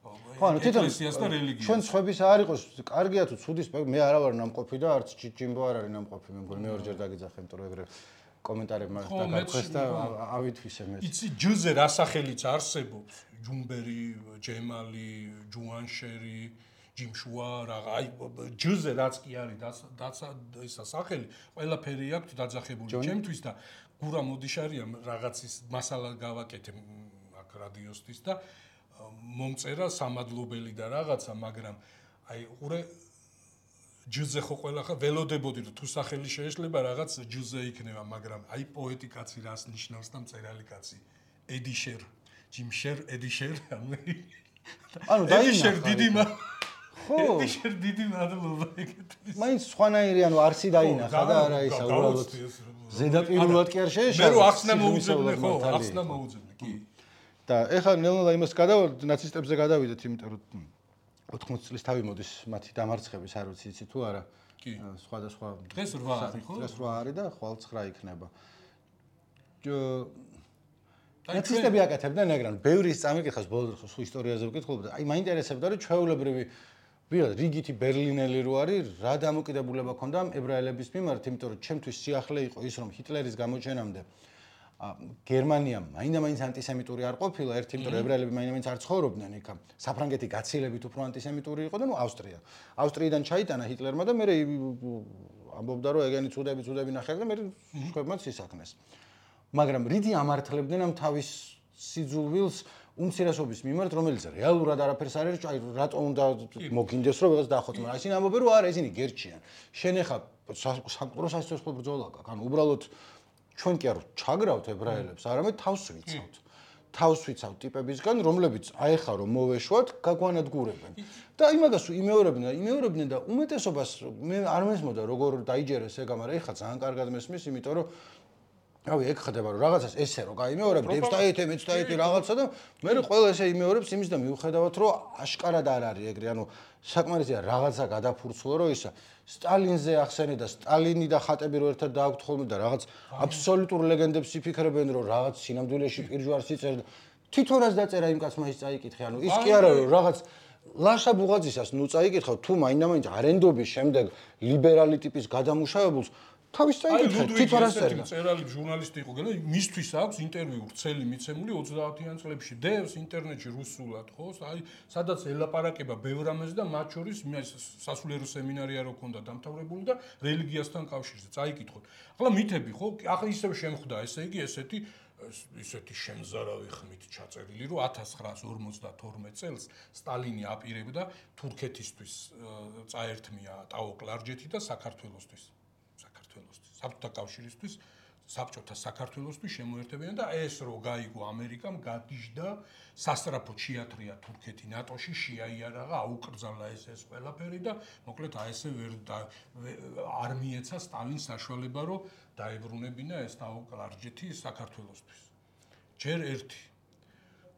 ხო, ანუ თვითონ ეკლესიას და რელიგიას. ჩვენ სხვების არ იყოს, კარგია თუ ცუდი სპექტაკლი, მე არა ვარ ნამყოფი და არც ჯიმბო არ არის ნამყოფი, მე მგონი მეორჯერ დაგიძახე, იმიტომ რომ ეგრე კომენტარებმა დაგაქვეს და ავითვისე მე. იცი ჯუზე რა სახელიც არსებობს? ჯუმბერი, ჯემალი, ჯუანშერი, ჯიმშუა, რაღა, აი ჯუზე რაც კი არის ისა სახელი, ყველაფერი აქვს დაძახებული ჩემთვის და გურა მოდიშარია რაღაცის მასალა გავაკეთე აქ რადიოსთვის და მომწერა სამადლობელი და რაღაცა, მაგრამ აი ყურე ჯუზე ხო ყველა ხა ველოდებოდი რომ თუ სახელი შეეშლება რაღაც ჯუზე იქნება, მაგრამ აი პოეტი კაცი რას ნიშნავს და მწერალი კაცი ედიშერ, ჯიმშერ, ედიშერ, ანუ ედიშერ დიდი ხო ედიშერ დიდი მადლობა ეგეთთვის. მაინც სხვანაირი ანუ არსი დაინახა და არა ისა უბრალოდ ზედაპირულად კი არ შეეშალა. მე რო ახსნა მოუძებნე ხო, ახსნა მოუძებნე, კი. და ეხლა ნელ-ნელა იმას გადავარდეთ, ნაცისტებზე გადავიდეთ, იმიტომ რომ 80 წლის თავი მოდის მათი დამარცხების, არ ვიცი იცი თუ არა. კი. სხვადასხვა დღეს 8 არის ხო? დღეს 8 არის და ხვალ 9 იქნება. ნაცისტები აკეთებდნენ ეგრან, ბევრი ის წამიკითხავს ბოლოს ხო ისტორიაზე ვკითხულობ და აი მაინტერესებდა რომ ჩვეულებრივი ვიღაც რიგითი ბერლინელი რო არის, რა დამოკიდებულება ქონდა ებრაელების მიმართ, იმიტომ რომ ჩემთვის სიახლე იყო ის რომ ჰიტლერის გამოჩენამდე გერმანია მაინდა-მაინც ანტისემიტური არ ყოფილა, ერთი იმიტომ რომ ებრაელები მაინდა-მაინც არ ცხოვრობდნენ იქ. საფრანგეთი გაცილებით უფრო ანტისემიტური იყო და ნუ ავსტრია. ავსტრიიდან ჩაიტანა ჰიტლერმა და მე ამბობდა რომ ეგენი ცუდები ნახე და მე სხვებმაც ისაქნეს. მაგრამ რიდი ამართლებდნენ ამ თავის სიძულვილს უმცირესობის მიმართ, რომელიც რეალურად არაფერს არ არის, აი რატომ უნდა მოგინდეს რომ ვიღაც დაახოც, მაგრამ ისინი ამბობენ რომ არა, ისინი გერჩიან. შენ ახლა სამყარო სასიცოცხლო ბრძოლა გაქვს, ანუ უბრალოდ ჩვენ კი არ ჩაგრავთ ებრაელებს, არამედ თავს ვიცავთ. თავს ვიცავთ ტიპებისგან, რომლებიც აეხა რომ მოვეშვათ, გაგვანადგურებენ. და იმაგას იმეორებდნენ და უმეტესობას მე არ მესმოდა როგორ დაიჯერეს ეგ, მაგრამ ეხლა ძალიან კარგად მესმის, იმიტომ რომ რავი, ეგ ხდება რომ რაღაცას ესე რომ გაიმეორებ, დეპსტაიტი, მეცდაიტი რაღაცა და მე ყველა ესე იმეორებს იმის და მიუხედავად რომ აშკარად არ არის ეგრე, ანუ საკმარისია რაღაცა გადაფურცლო რომ ისა სტალინზე ახსენე და სტალინი და ხატები რო ერთად დააქვთ ხოლმე და რაღაც აბსოლუტურ ლეგენდებს იფიქრებენ რომ რაღაც სინამდვილეში პირჯვარს იწერდა. თვითონაც დაწერა იმ კაცმა ის წაიკითხე, ანუ ის კი არა რომ რაღაც ლაშა ბუღაძისას ნუ წაიკითხავ თუ მაინდა-მაინც არენდობის შემდეგ ლიბერალი ტიპის გადამუშავებულს თავის წაიკითხე, თვითონაც წერდა. წერალი ჟურნალისტი იყო, გელა მისთვის აქვს ინტერვიუ ვრცელი მიცემული 30-იან წლებში. დევს ინტერნეტში რუსულად, ხო? აი, სადაც ელაპარაკება ბევრ რამეს და მათ შორის სასულიერო სემინარია რო ქონდა დამთავრებული და რელიგიასთან კავშირზე წაიკითხოთ. ახლა მითები, ხო? ახლა ისევ შემხვდა, ესე იგი, ისეთი შემზარავი ხმით ჩაწერილი, რომ 1952 წელს სტალინი აპირებდა თურქეთისთვის წაერთმია ტაო-კლარჯეთი და საქართველოსთვის. საბჭოთა კავშირისთვის, საბჭოთა საქართველოსთვის შემოერთებიან და ეს რო გაიგო ამერიკამ, გადიждდა სასტრაფო ჩიათრია თურქეთი ნატოში, შეაიარაღა, აუკრძალა ეს ყველაფერი და მოკლედ აი ესე არ მიეცა სტალინს საშუალება, რომ დაებრუნებინა ეს ტაო-კლარჯეთი საქართველოსთვის. ჯერ ერთი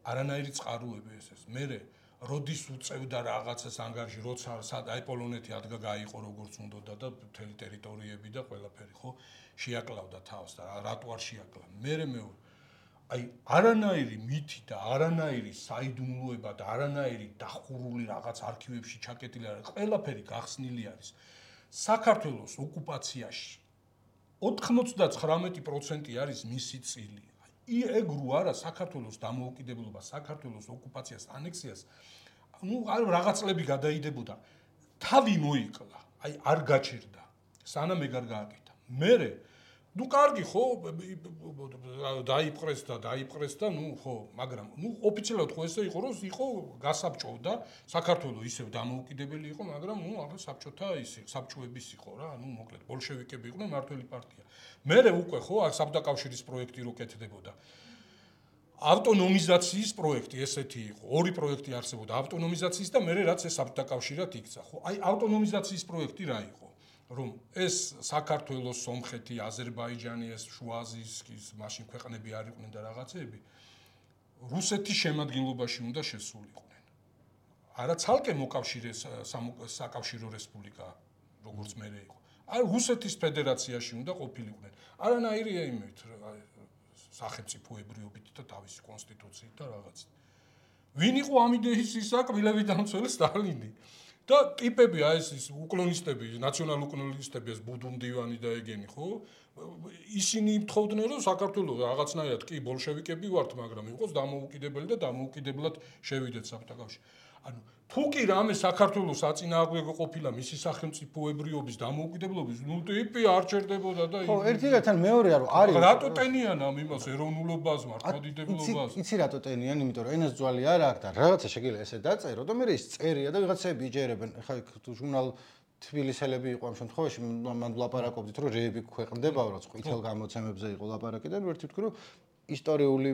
არანაირი წყაროები ეს. მერე როდის უწევდა რაღაცას ანგარიში, როცა აი პოლონეთი ადგა გაიყო როგორც უნდა და მთელი ტერიტორიები და ყველაფერი, ხო? შეაკლავდა თავს და რატო არ შეაკლა. მერე აი არანაირი მითი და არანაირი საიდუმლოება და არანაირი დახურული რაღაც არქივებში ჩაკეტილი არის. ყველაფერი გახსნილი არის. საქართველოს ოკუპაციაში 99% არის მისი წილი. ეგ რო არა საქართველოს დამოუკიდებლობა, საქართველოს ოკუპაციას, ანექსიას, ნუ რაღაცლები გადაიდებოდა. თავი მოიკლა, აი არ გაჩერდა, სანამ ეგ არ გააკეთა. მერე, ნუ კარგი ხო, დაიპყრეს და ნუ ხო, მაგრამ ნუ ოფიციალურად ხო ესე იყო, რომ იყო გასაბჭოვდა, საქართველოს ისევ დამოუკიდებელი იყო, მაგრამ ნუ ახლა საბჭოთა საბჭოების იყო რა, ნუ მოკლედ ბოლშევიკები იყვნენ მართველი პარტია. მერე უკვე ხო, საბჭოთა კავშირის პროექტი რო კეთდებოდა. ავტონომიზაციის პროექტი ესეთი იყო. ორი პროექტი არსებობდა, ავტონომიზაციის და მერე რაც ეს საბჭოთა კავშირად იქცა, ხო? აი ავტონომიზაციის პროექტი რა იყო? რომ ეს საქართველოს, სომხეთი, აზერბაიჯანი, ეს შუა აზიის მაშინ ქვეყნები არ იყვნენ და რაღაცეები რუსეთის შემადგენლობაში უნდა შესულიყვნენ. არა ცალკე მოკავშირეს საკავშირო რესპუბლიკა, როგორც მერე იყო. აი რუსეთის ფედერაციაში უნდა ყოფილიყვნენ. არანაირი იმით სახელმწიფოებრიობით და თავისი კონსტიტუციით და რაღაც. ვინ იყო ამ იდეის ისაკვილები დამცველი სტალინი? და ტიპები აი ეს უკლონისტები, ნაციონალ-უკლონისტები, ეს ბუდუნდივანი და ეგენი, ხო? ისინი თხოვდნენ რომ საქართველოს რაღაცნაირად კი ბოლშევიკები ვართ, მაგრამ იყოს დამოუკიდებელი და დამოუკიდებლად შევიდეთ საბჭოთა კავშირში. ანუ თუ კი რამე საქართველოს აწინააღმდეგო ყოფილა მისი სახელმწიფოებრიობის დამოუკიდებლობის, ნუ ტიპი არ ჩერდებოდა და ხო, ერთიდან მეორეა რომ არის რატო ტენიან ამ იმას ეროვნულობას, მართლმადიდებლობას? იცი რატო ტენიან, იმიტომ რომ ენას ძვალი არ აქვს და რაღაცა შეიძლება ესე დაწერო და მე ის წერია და ვიღაცები იჯერებენ. ხა ჟურნალ თბილისელები იყო ამ შემთხვევაში, მან ლაპარაკობდით რომ რეები ქვეყნდებაო, რაც ყვითელ გამოცემებზე იყო ლაპარაკი და ვერთი ვთქვი რომ ისტორიული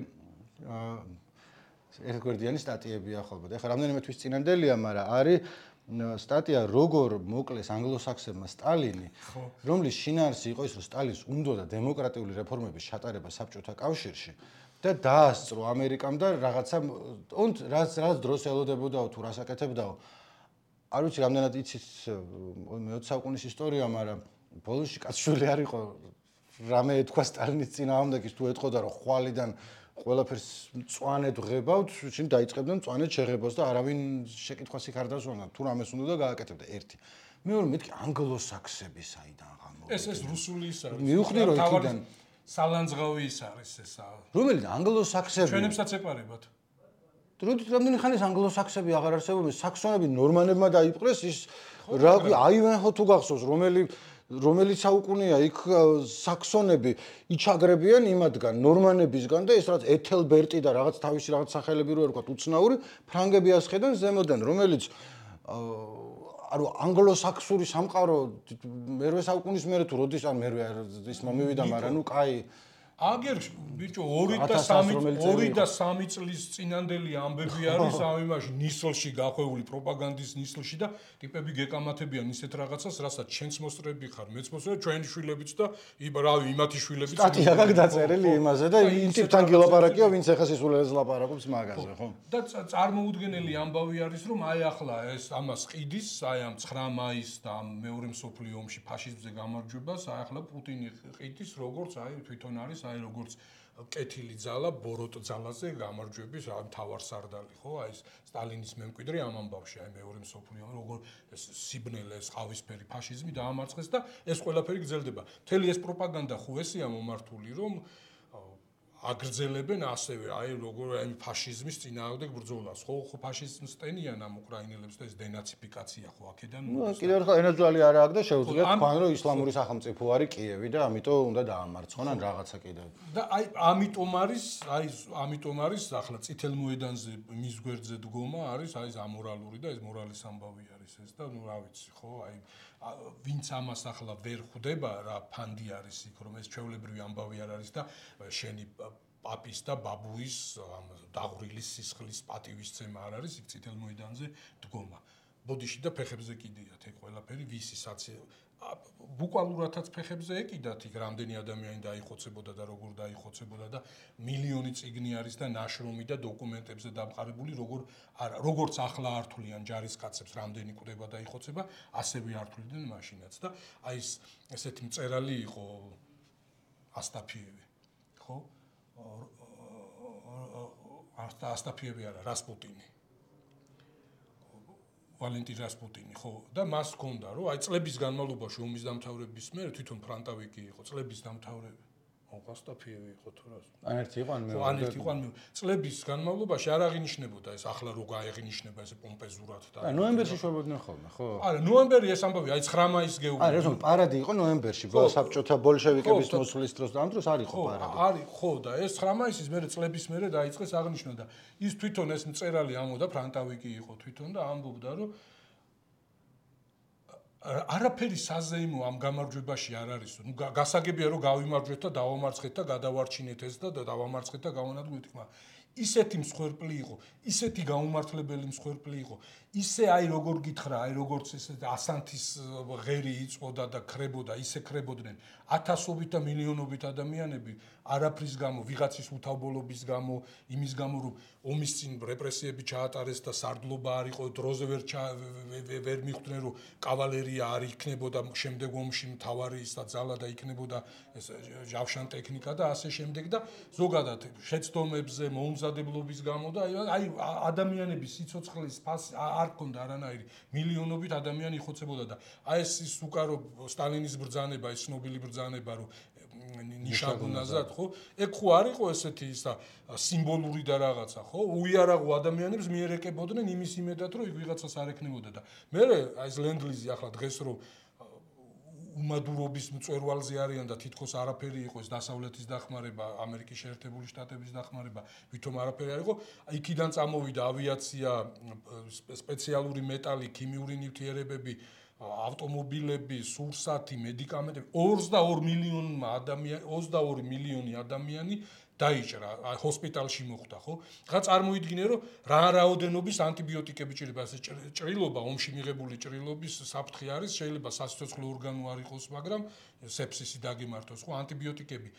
ერთგვერდიანი სტატიებია ხოლმე. ეხლა რამდენიმე თვის წინანდელია, მაგრამ არის სტატია როგორ მოკლეს ანგლოსაქსებმა სტალინი, რომლის შინაარსი იყო ის, რომ სტალინს უნდოდა დემოკრატიული რეფორმების ჩატარება საბჭოთა კავშირში და დაასწრო ამერიკამ და რაღაცა რაც დროს ელოდებოდაო თუ რას აკეთებდაო. არ ვიცი რამდენად იცით მე-20 საუკუნის ისტორია, მაგრამ ბოლოსში კაცშვილი არ იყო რამე ეთქვა სტალინის წინააღმდეგის თუ ეთქოდა რომ ხვალიდან ყველაფერს მწვანედ ღებავთ, შინ დაიწყებდნენ მწვანედ შეღებავს და არავინ შეკითხვას იქ არ დასვენა, თუ რამეს უნდა და გააკეთებდა ერთი. მეორე მეთქი ანგლოსაქსები საიდან გამოვიდნენ. ეს რუსული ის არის. მივხვდი რომ იქიდან სალანძღავი ის არის ესა. რომელი ანგლოსაქსები? ჩვენებსაც ეპარებათ. რამდენი ხანი ანგლოსაქსები აღარ არსებობენ, საქსონები ნორმანებმა დაიპყრეს ის რა აივენჰო თუ გახსოვს, რომელი რომელიც საუკუნეა იქ საქსონები იჩაგრებიან იმათგან, ნორმანებისგან და ეს რაც ეთელბერტი და რაღაც თავისი რაღაც სახელები რო ვთქვათ, უცნაური ფრანგები ასხედან ზემოდან, რომელიც ანუ ანგლო-საქსური სამყარო მერვე საუკუნის მერე თუ როდის ან მერვე ის მომივიდა, მაგრამ ნუ კაი აგერ ბიჭო 2 და 3 წლის წინანდელი ამბები არის ამ იმაში ნისლში გახვეული პროპაგანდის ნისლში და ტიპები გეკამათებიან ისეთ რაღაცას, რასაც ჩვენც მოსწრები ხარ, მეც მოსწრები, ჩვენი შვილებიც და რავი, იმათი შვილებიც. სტატია გაქვს დაწერილი იმაზე და იმ ტიპთან გილაპარაკია, ვინც ახლა სისულელეს ლაპარაკობს მაგაზე, ხო? და წარმოუდგენელი ამბავი არის, რომ აი ახლა ეს ამას ყიდის, აი ამ 9 მაისს და ამ მეორე მსოფლიო ომში ფაშიზმზე გამარჯვებას, აი ახლა პუტინი ყიდის, როგორც აი თვითონ არის აი როგორც კეთილი ძალა ბოროტ ძალაზე გამარჯვების მთავარსარდალი ხო აი ეს სტალინის მემკვიდრე ამ ამბავში აი მეორე მსოფლიო ომი როგორ ეს სიბნელე ეს ყავისფერი ფაშიზმი დაამარცხეს და ეს ყველაფერი გრძელდება მთელი ეს პროპაგანდა ხო ესეა მომართული რომ აგრძელებენ ასევე აი როგორ აი ფაშიზმის წინააღმდეგ ბრძოლას ხო ფაშიზმს ტენიან ამ უკრაინელებს და ეს დენაციფიკაცია ხო აქედან ნუ კიდევ ერთხელ ენერგიალი არ აქვს და შეუძლიათ თქვენ რომ ისლამური სახელმწიფო არის კიევი და ამიტომ უნდა დაამარცხონ ან რაღაცა კიდევ და აი ამიტომ არის ახლა წითელ მოედანზე მის გვერდზე დგომა არის აი ეს ამორალური და ეს მორალის ამბავი არის ეს და ნუ რა ვიცი ხო აი ვინც ამას ახლა ვერ ხვდება რა ფანდი არის იქ რომ ეს ჩვეულებრივი ამბავი არ არის და შენი პაპის და ბაბუის დაღვრილის სისხლის პატივისცემა არ არის იქ წითელ მოედანზე დგომა ბოდიში და ფეხებზე კიდიათ ეგ ყველაფერი ვისი საცი ბუკვალურათაც ფეხებზე ეკიდათ იქ რამდენი ადამიანი დაიხოცებოდა და როგორ დაიხოცებოდა და მილიონი წიგნი არის და ნაშრომი და დოკუმენტებზე დამყარებული როგორც ახლა ართულიან ჯარისკაცებს რამდენი კვდება და იხოცება ასევე ართულიდნენ მაშინაც და აი ესეთი მწერალი იყო ასტაფიევი ხო ასტაფიევი არა რასპუტინი ვალენტინ რასპუტინი ხო და მას ჰქონდა რომ აი წლების განმავლობაში ომის დამთავრების მერე თვითონ ფრანტავიკი იყო წლების დამთავრება ასტაფიევი იყო თუ რა ან ერთი იყო ან მეორე ან ერთი იყო ან მეორე წლების განმავლობაში არ აღინიშნებოდა ეს ახლა რო გაეღინიშნება ეს პომპეზურად და აი ნოემბერში შვებოდნენ ხოლმე ხო არა ნოემბერი ეს ამბავი აი 9 მაისს გეუბნები არა ეს პარადი იყო ნოემბერში საბჭოთა ბოლშევიკების მოსვლის დროს და ამ დროს არ იყო პარადი არის ხო და ეს 9 მაისის მერე წლების მერე დაიწყეს აღნიშნა და ის თვითონ ეს მწერალი ამოდა ფრანტავიკი იყო თვითონ და ამბობდა რომ არაფერი საზეიმო ამ გამარჯვებაში არ არის. ნუ გასაგებია რომ გავიმარჯვეთ და დავამარცხეთ და გადავარჩინეთ ეს და დავამარცხეთ და გავანადგურეთ, მაგრამ ისეთი მსხვერპლი იყო, ისეთი გაუმართლებელი მსხვერპლი იყო. ისე აი როგორ გითხრა, აი როგორც ესე ასანთის ღერი იწოდა და ხრებოდა, ისე ხრებოდნენ ათასობით და მილიონობით ადამიანები არაფრის გამო, ვიღაცის უთავბოლობის გამო, იმის გამო რომ ომის წინ რეპრესიები ჩაატარეს და სარდლობა არ იყო, დროზე ვერ მიხვდნენ რომ კავალერია არ იქნებოდა შემდეგ ომში მთავარი ის და ძალა და იქნებოდა ეს ჯავშან ტექნიკა და ასე შემდეგ და ზოგადად შეცდომებზე მომზადებლობის გამო და აი ადამიანების სიცოცხლის ფასი არ ქონდა არანაირი მილიონობით ადამიანი იხოცებოდა და აი ეს უკარო სტალინის ბრძანება ეს ცნობილი ბრძანება რომ ნიშანგუნაზად ხო ეგ ხო არ იყო ესეთი ისა სიმბოლური და რაღაცა ხო უიარაღო ადამიანებს მიერეკებოდნენ იმის იმედად რომ იქ ვიღაცას არ ექნებოდა და მე აი ეს ლენდლიზი ახლა დღეს რომ უმადურობის მწვერვალზე არიან და თითქოს არაფერი იყო ეს დასავლეთის დახმარება ამერიკის შეერთებული შტატების დახმარება ვითომ არაფერი არ იყო იქიდან წამოვიდა ავიაცია სპეციალური მეტალი ქიმიური ნივთიერებები ავტომობილები, სურსათი, მედიკამენტები 22 მილიონი ადამიანი დაიჭრა, ჰოსპიტალში მოხვდა, ხო? რა წარმოიდგინე, რომ რა რაოდენობის ანტიბიოტიკები ჭირდება, ეს ჭრილობა, ომში მიღებული ჭრილობის საფრთხე არის, შეიძლება სასიცოცხლო ორგანო არ იყოს, მაგრამ სეფსისი დაგემართოს, ხო, ანტიბიოტიკები.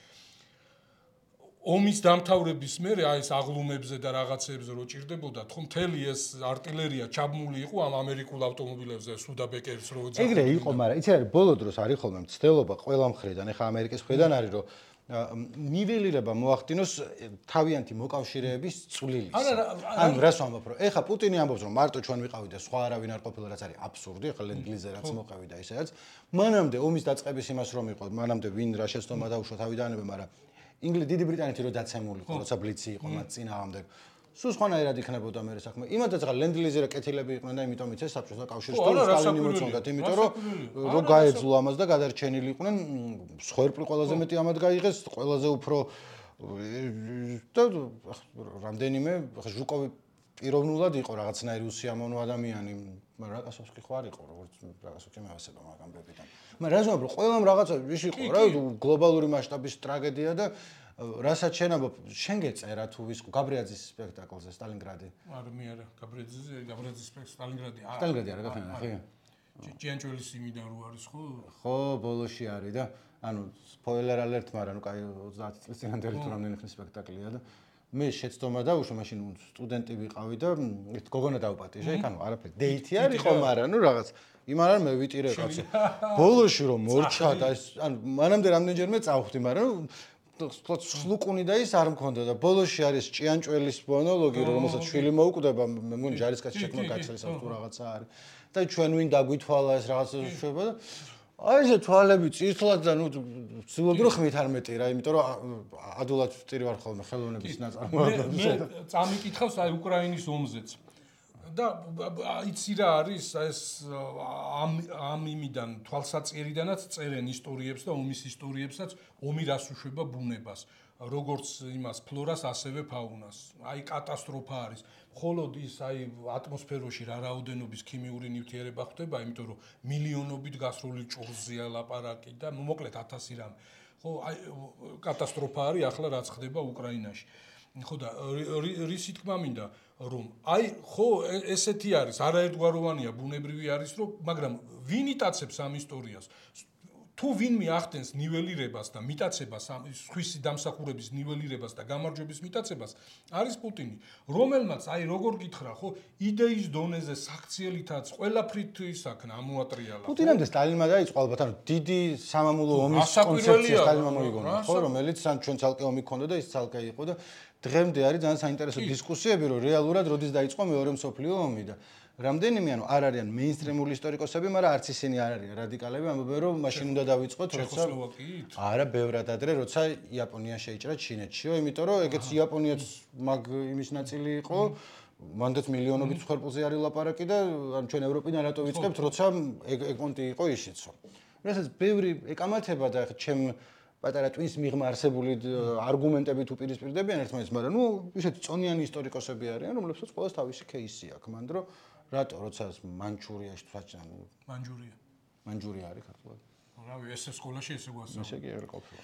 ომის დამთავრების მერე აი ეს აღლუმებზე და რაღაცებზე რო ჭირდებოდა, თქო მთელი ეს артиლერია ჩაბმული იყო ამ ამერიკულ ავტომობილებზე, სუდაბეკერს რო ეძახდნენ. ეგრე იყო, მაგრამ იცი რა, ბოლო დროს არის ხოლმე მცდელობა ყველა მხრიდან, ეხა ამერიკის მხრიდან არის, რომ ნიველირება მოახდინოს თავიანთი მოკავშირეების წვლილის. ანუ რას ვამბობ, რომ ეხა პუტინი ამბობს, რომ მარტო ჩვენ ვიყავით და სხვა არავინ არ ყოფილა, რაც არის აბსურდი, ეხა ლენდლიზზე რაც მოყევი და ისედაც. მანამდე ომის დაწყების იმას რომ იყო, მანამდე ვინ რა შეცდომა დაუშვა თავიდანვე, მაგრამ დიდი ბრიტანეთი რო დაცემული იყო, როცა ბლიცი იყო მათ წინააღმდეგ. სულ სხვანაირად იქნებოდა მე საქმე. იმათაც რა ლენდ-ლიზი რა კეთილები იყვნენ და იმიტომ იცეს საბჭოთა კავშირს თუ სტალინი მოწონდათ, იმიტომ რომ გაეძლო ამას და გადარჩენილი იყვნენ, სხვერპლი ყველაზე მეტი ამად გაიღეს, ყველაზე უფრო და რამდენიმე ჟუკოვი პიროვნულად იყო რაღაცნაირი უსიამოვნო ადამიანი, მაგრამ რაკასოვსკი ხო არ იყო, როგორც რაკასოვსკი მევასება მაგ ამბებიდან. მაგრამ რაზმობ რომ ყველამ რაღაცა ის იყო რა გლობალური მასშტაბის ტრაგედია და რასაც შენ ამბობ, შენ გეწერა თუ ვის გაბრიაძის სპექტაკლზე სტალინგრადი? არა, გაბრიაძის სტალინგრადი. სტალინგრადი არა გახსნა, ხო? ჭიანჭველის იმიდან რო არის ხო? ხო, ბოლოში არის და ანუ სპოილერ ალერტ, მაგრამ ნუ კაი 30 წლის წინანდელი თუ რამდენი ხნის სპექტაკლია და მე შეცდომა დავუშვა, მაშინ სტუდენტი ვიყავი და გოგონა დავპატიჟე, იქ ანუ არაფერი დეითი არ იყო, მაგრამ ნუ რაღაც იმ არ მე ვიტირე კაცო. ბოლოში რომ მორჩა და ანუ მანამდე რამდენჯერმე წავხვდი, მაგრამ სლუკუნი და ის არ მქონდა და ბოლოში არის ჭიანჭველის მონოლოგი, რომელსაც შვილი მოუკვდება, მე მგონი ჯარისკაცი შექმნა კაცელს თუ რაღაცა არის. და ჩვენ ვინ დაგვითვალა ეს რაღაცა შვება და აი ეს თვალები წითლად და ნუ ვცდილობდი რომ ხმით არ მეტი რა, იმიტომ რომ ადულად ვტირი ვარ ხოლმე ხელოვნების ნაწარმოებებს. მე წამიკითხავს აი უკრაინის ომზეც. და იცი რა არის ეს ამ იმიდან თვალსაჭერიდანაც წერენ ისტორიებს და ომის ისტორიებსაც ომი რას უშვება ბუნებას როგორც იმას ფლორას ასევე ფაუნას აი კატასტროფა არის მხოლოდ ის აი ატმოსფეროში რა რაოდენობის ქიმიური ნივთიერება ხდება იმიტომ რომ მილიონობით გასროლი ჭურზეა ლაპარაკი და მოკლედ 1000 რამ ხო აი კატასტროფა არის ახლა რაც ხდება უკრაინაში ხო და რისი თქმა მინდა რომ აი ხო ესეთი არის არაერთგვაროვანია ბუნებრივი არის რომ მაგრამ ვინ იტაცებს ამ ისტორიას თუ ვინმე ახდენს ნიველირებას და მიტაცებას სხვისი დამსახურების ნიველირებას და გამარჯვების მიტაცებას არის პუტინი რომელმაც აი როგორ გითხრა ხო იდეის დონეზე საქციელითაც ყველაფრით ისაქნა ამოატრიალა პუტინამდე სტალინმა დაიწყო ალბათ ანუ დიდი სამამულო ომის კონცეფცია სტალინმა მოიგონა ხო რომელიც სამ ჩვენ ცალკე ომი ქონდა და ის ცალკე იყო და დღემდე არის ძალიან საინტერესო დისკუსიები რომ რეალურად როდის დაიწყო მეორე მსოფლიო ომი და რამდენიმე ანუ არ არიან მეინსტრიმული ისტორიკოსები, მაგრამ არც ისინი არ არიან რადიკალები, ამბობენ რომ მაშინ უნდა დავიწყოთ როცა არა, ბევრად ადრე, როცა იაპონია შეიჭრა ჩინეთშიო, იმიტომ რომ ეგეც იაპონიაც მაგ იმის ნაწილი იყო, მანდაც მილიონობით ხერპულზე არის ლაპარაკი და ან ჩვენ ევროპიდან რატო ვიწყებთ, როცა ეგონტი იყო ისიცო. რასაც ბევრი ეკამათება და ჩემ პატარა ტვინს მიღმა არსებული არგუმენტები თუ პირისპირდებიან ერთმანეთს, მაგრამ ნუ ისეთი წონიანი ისტორიკოსები არიან, რომლებსაც ყოველს თავისი кейსი აქვს, მანდ რომ რატო როცა მანჩურიაში თვაჭან მანჯურია არის ქართულად რავი ესე სკოლაში ესე გვასწავლეს ესე კი არ ყოფილა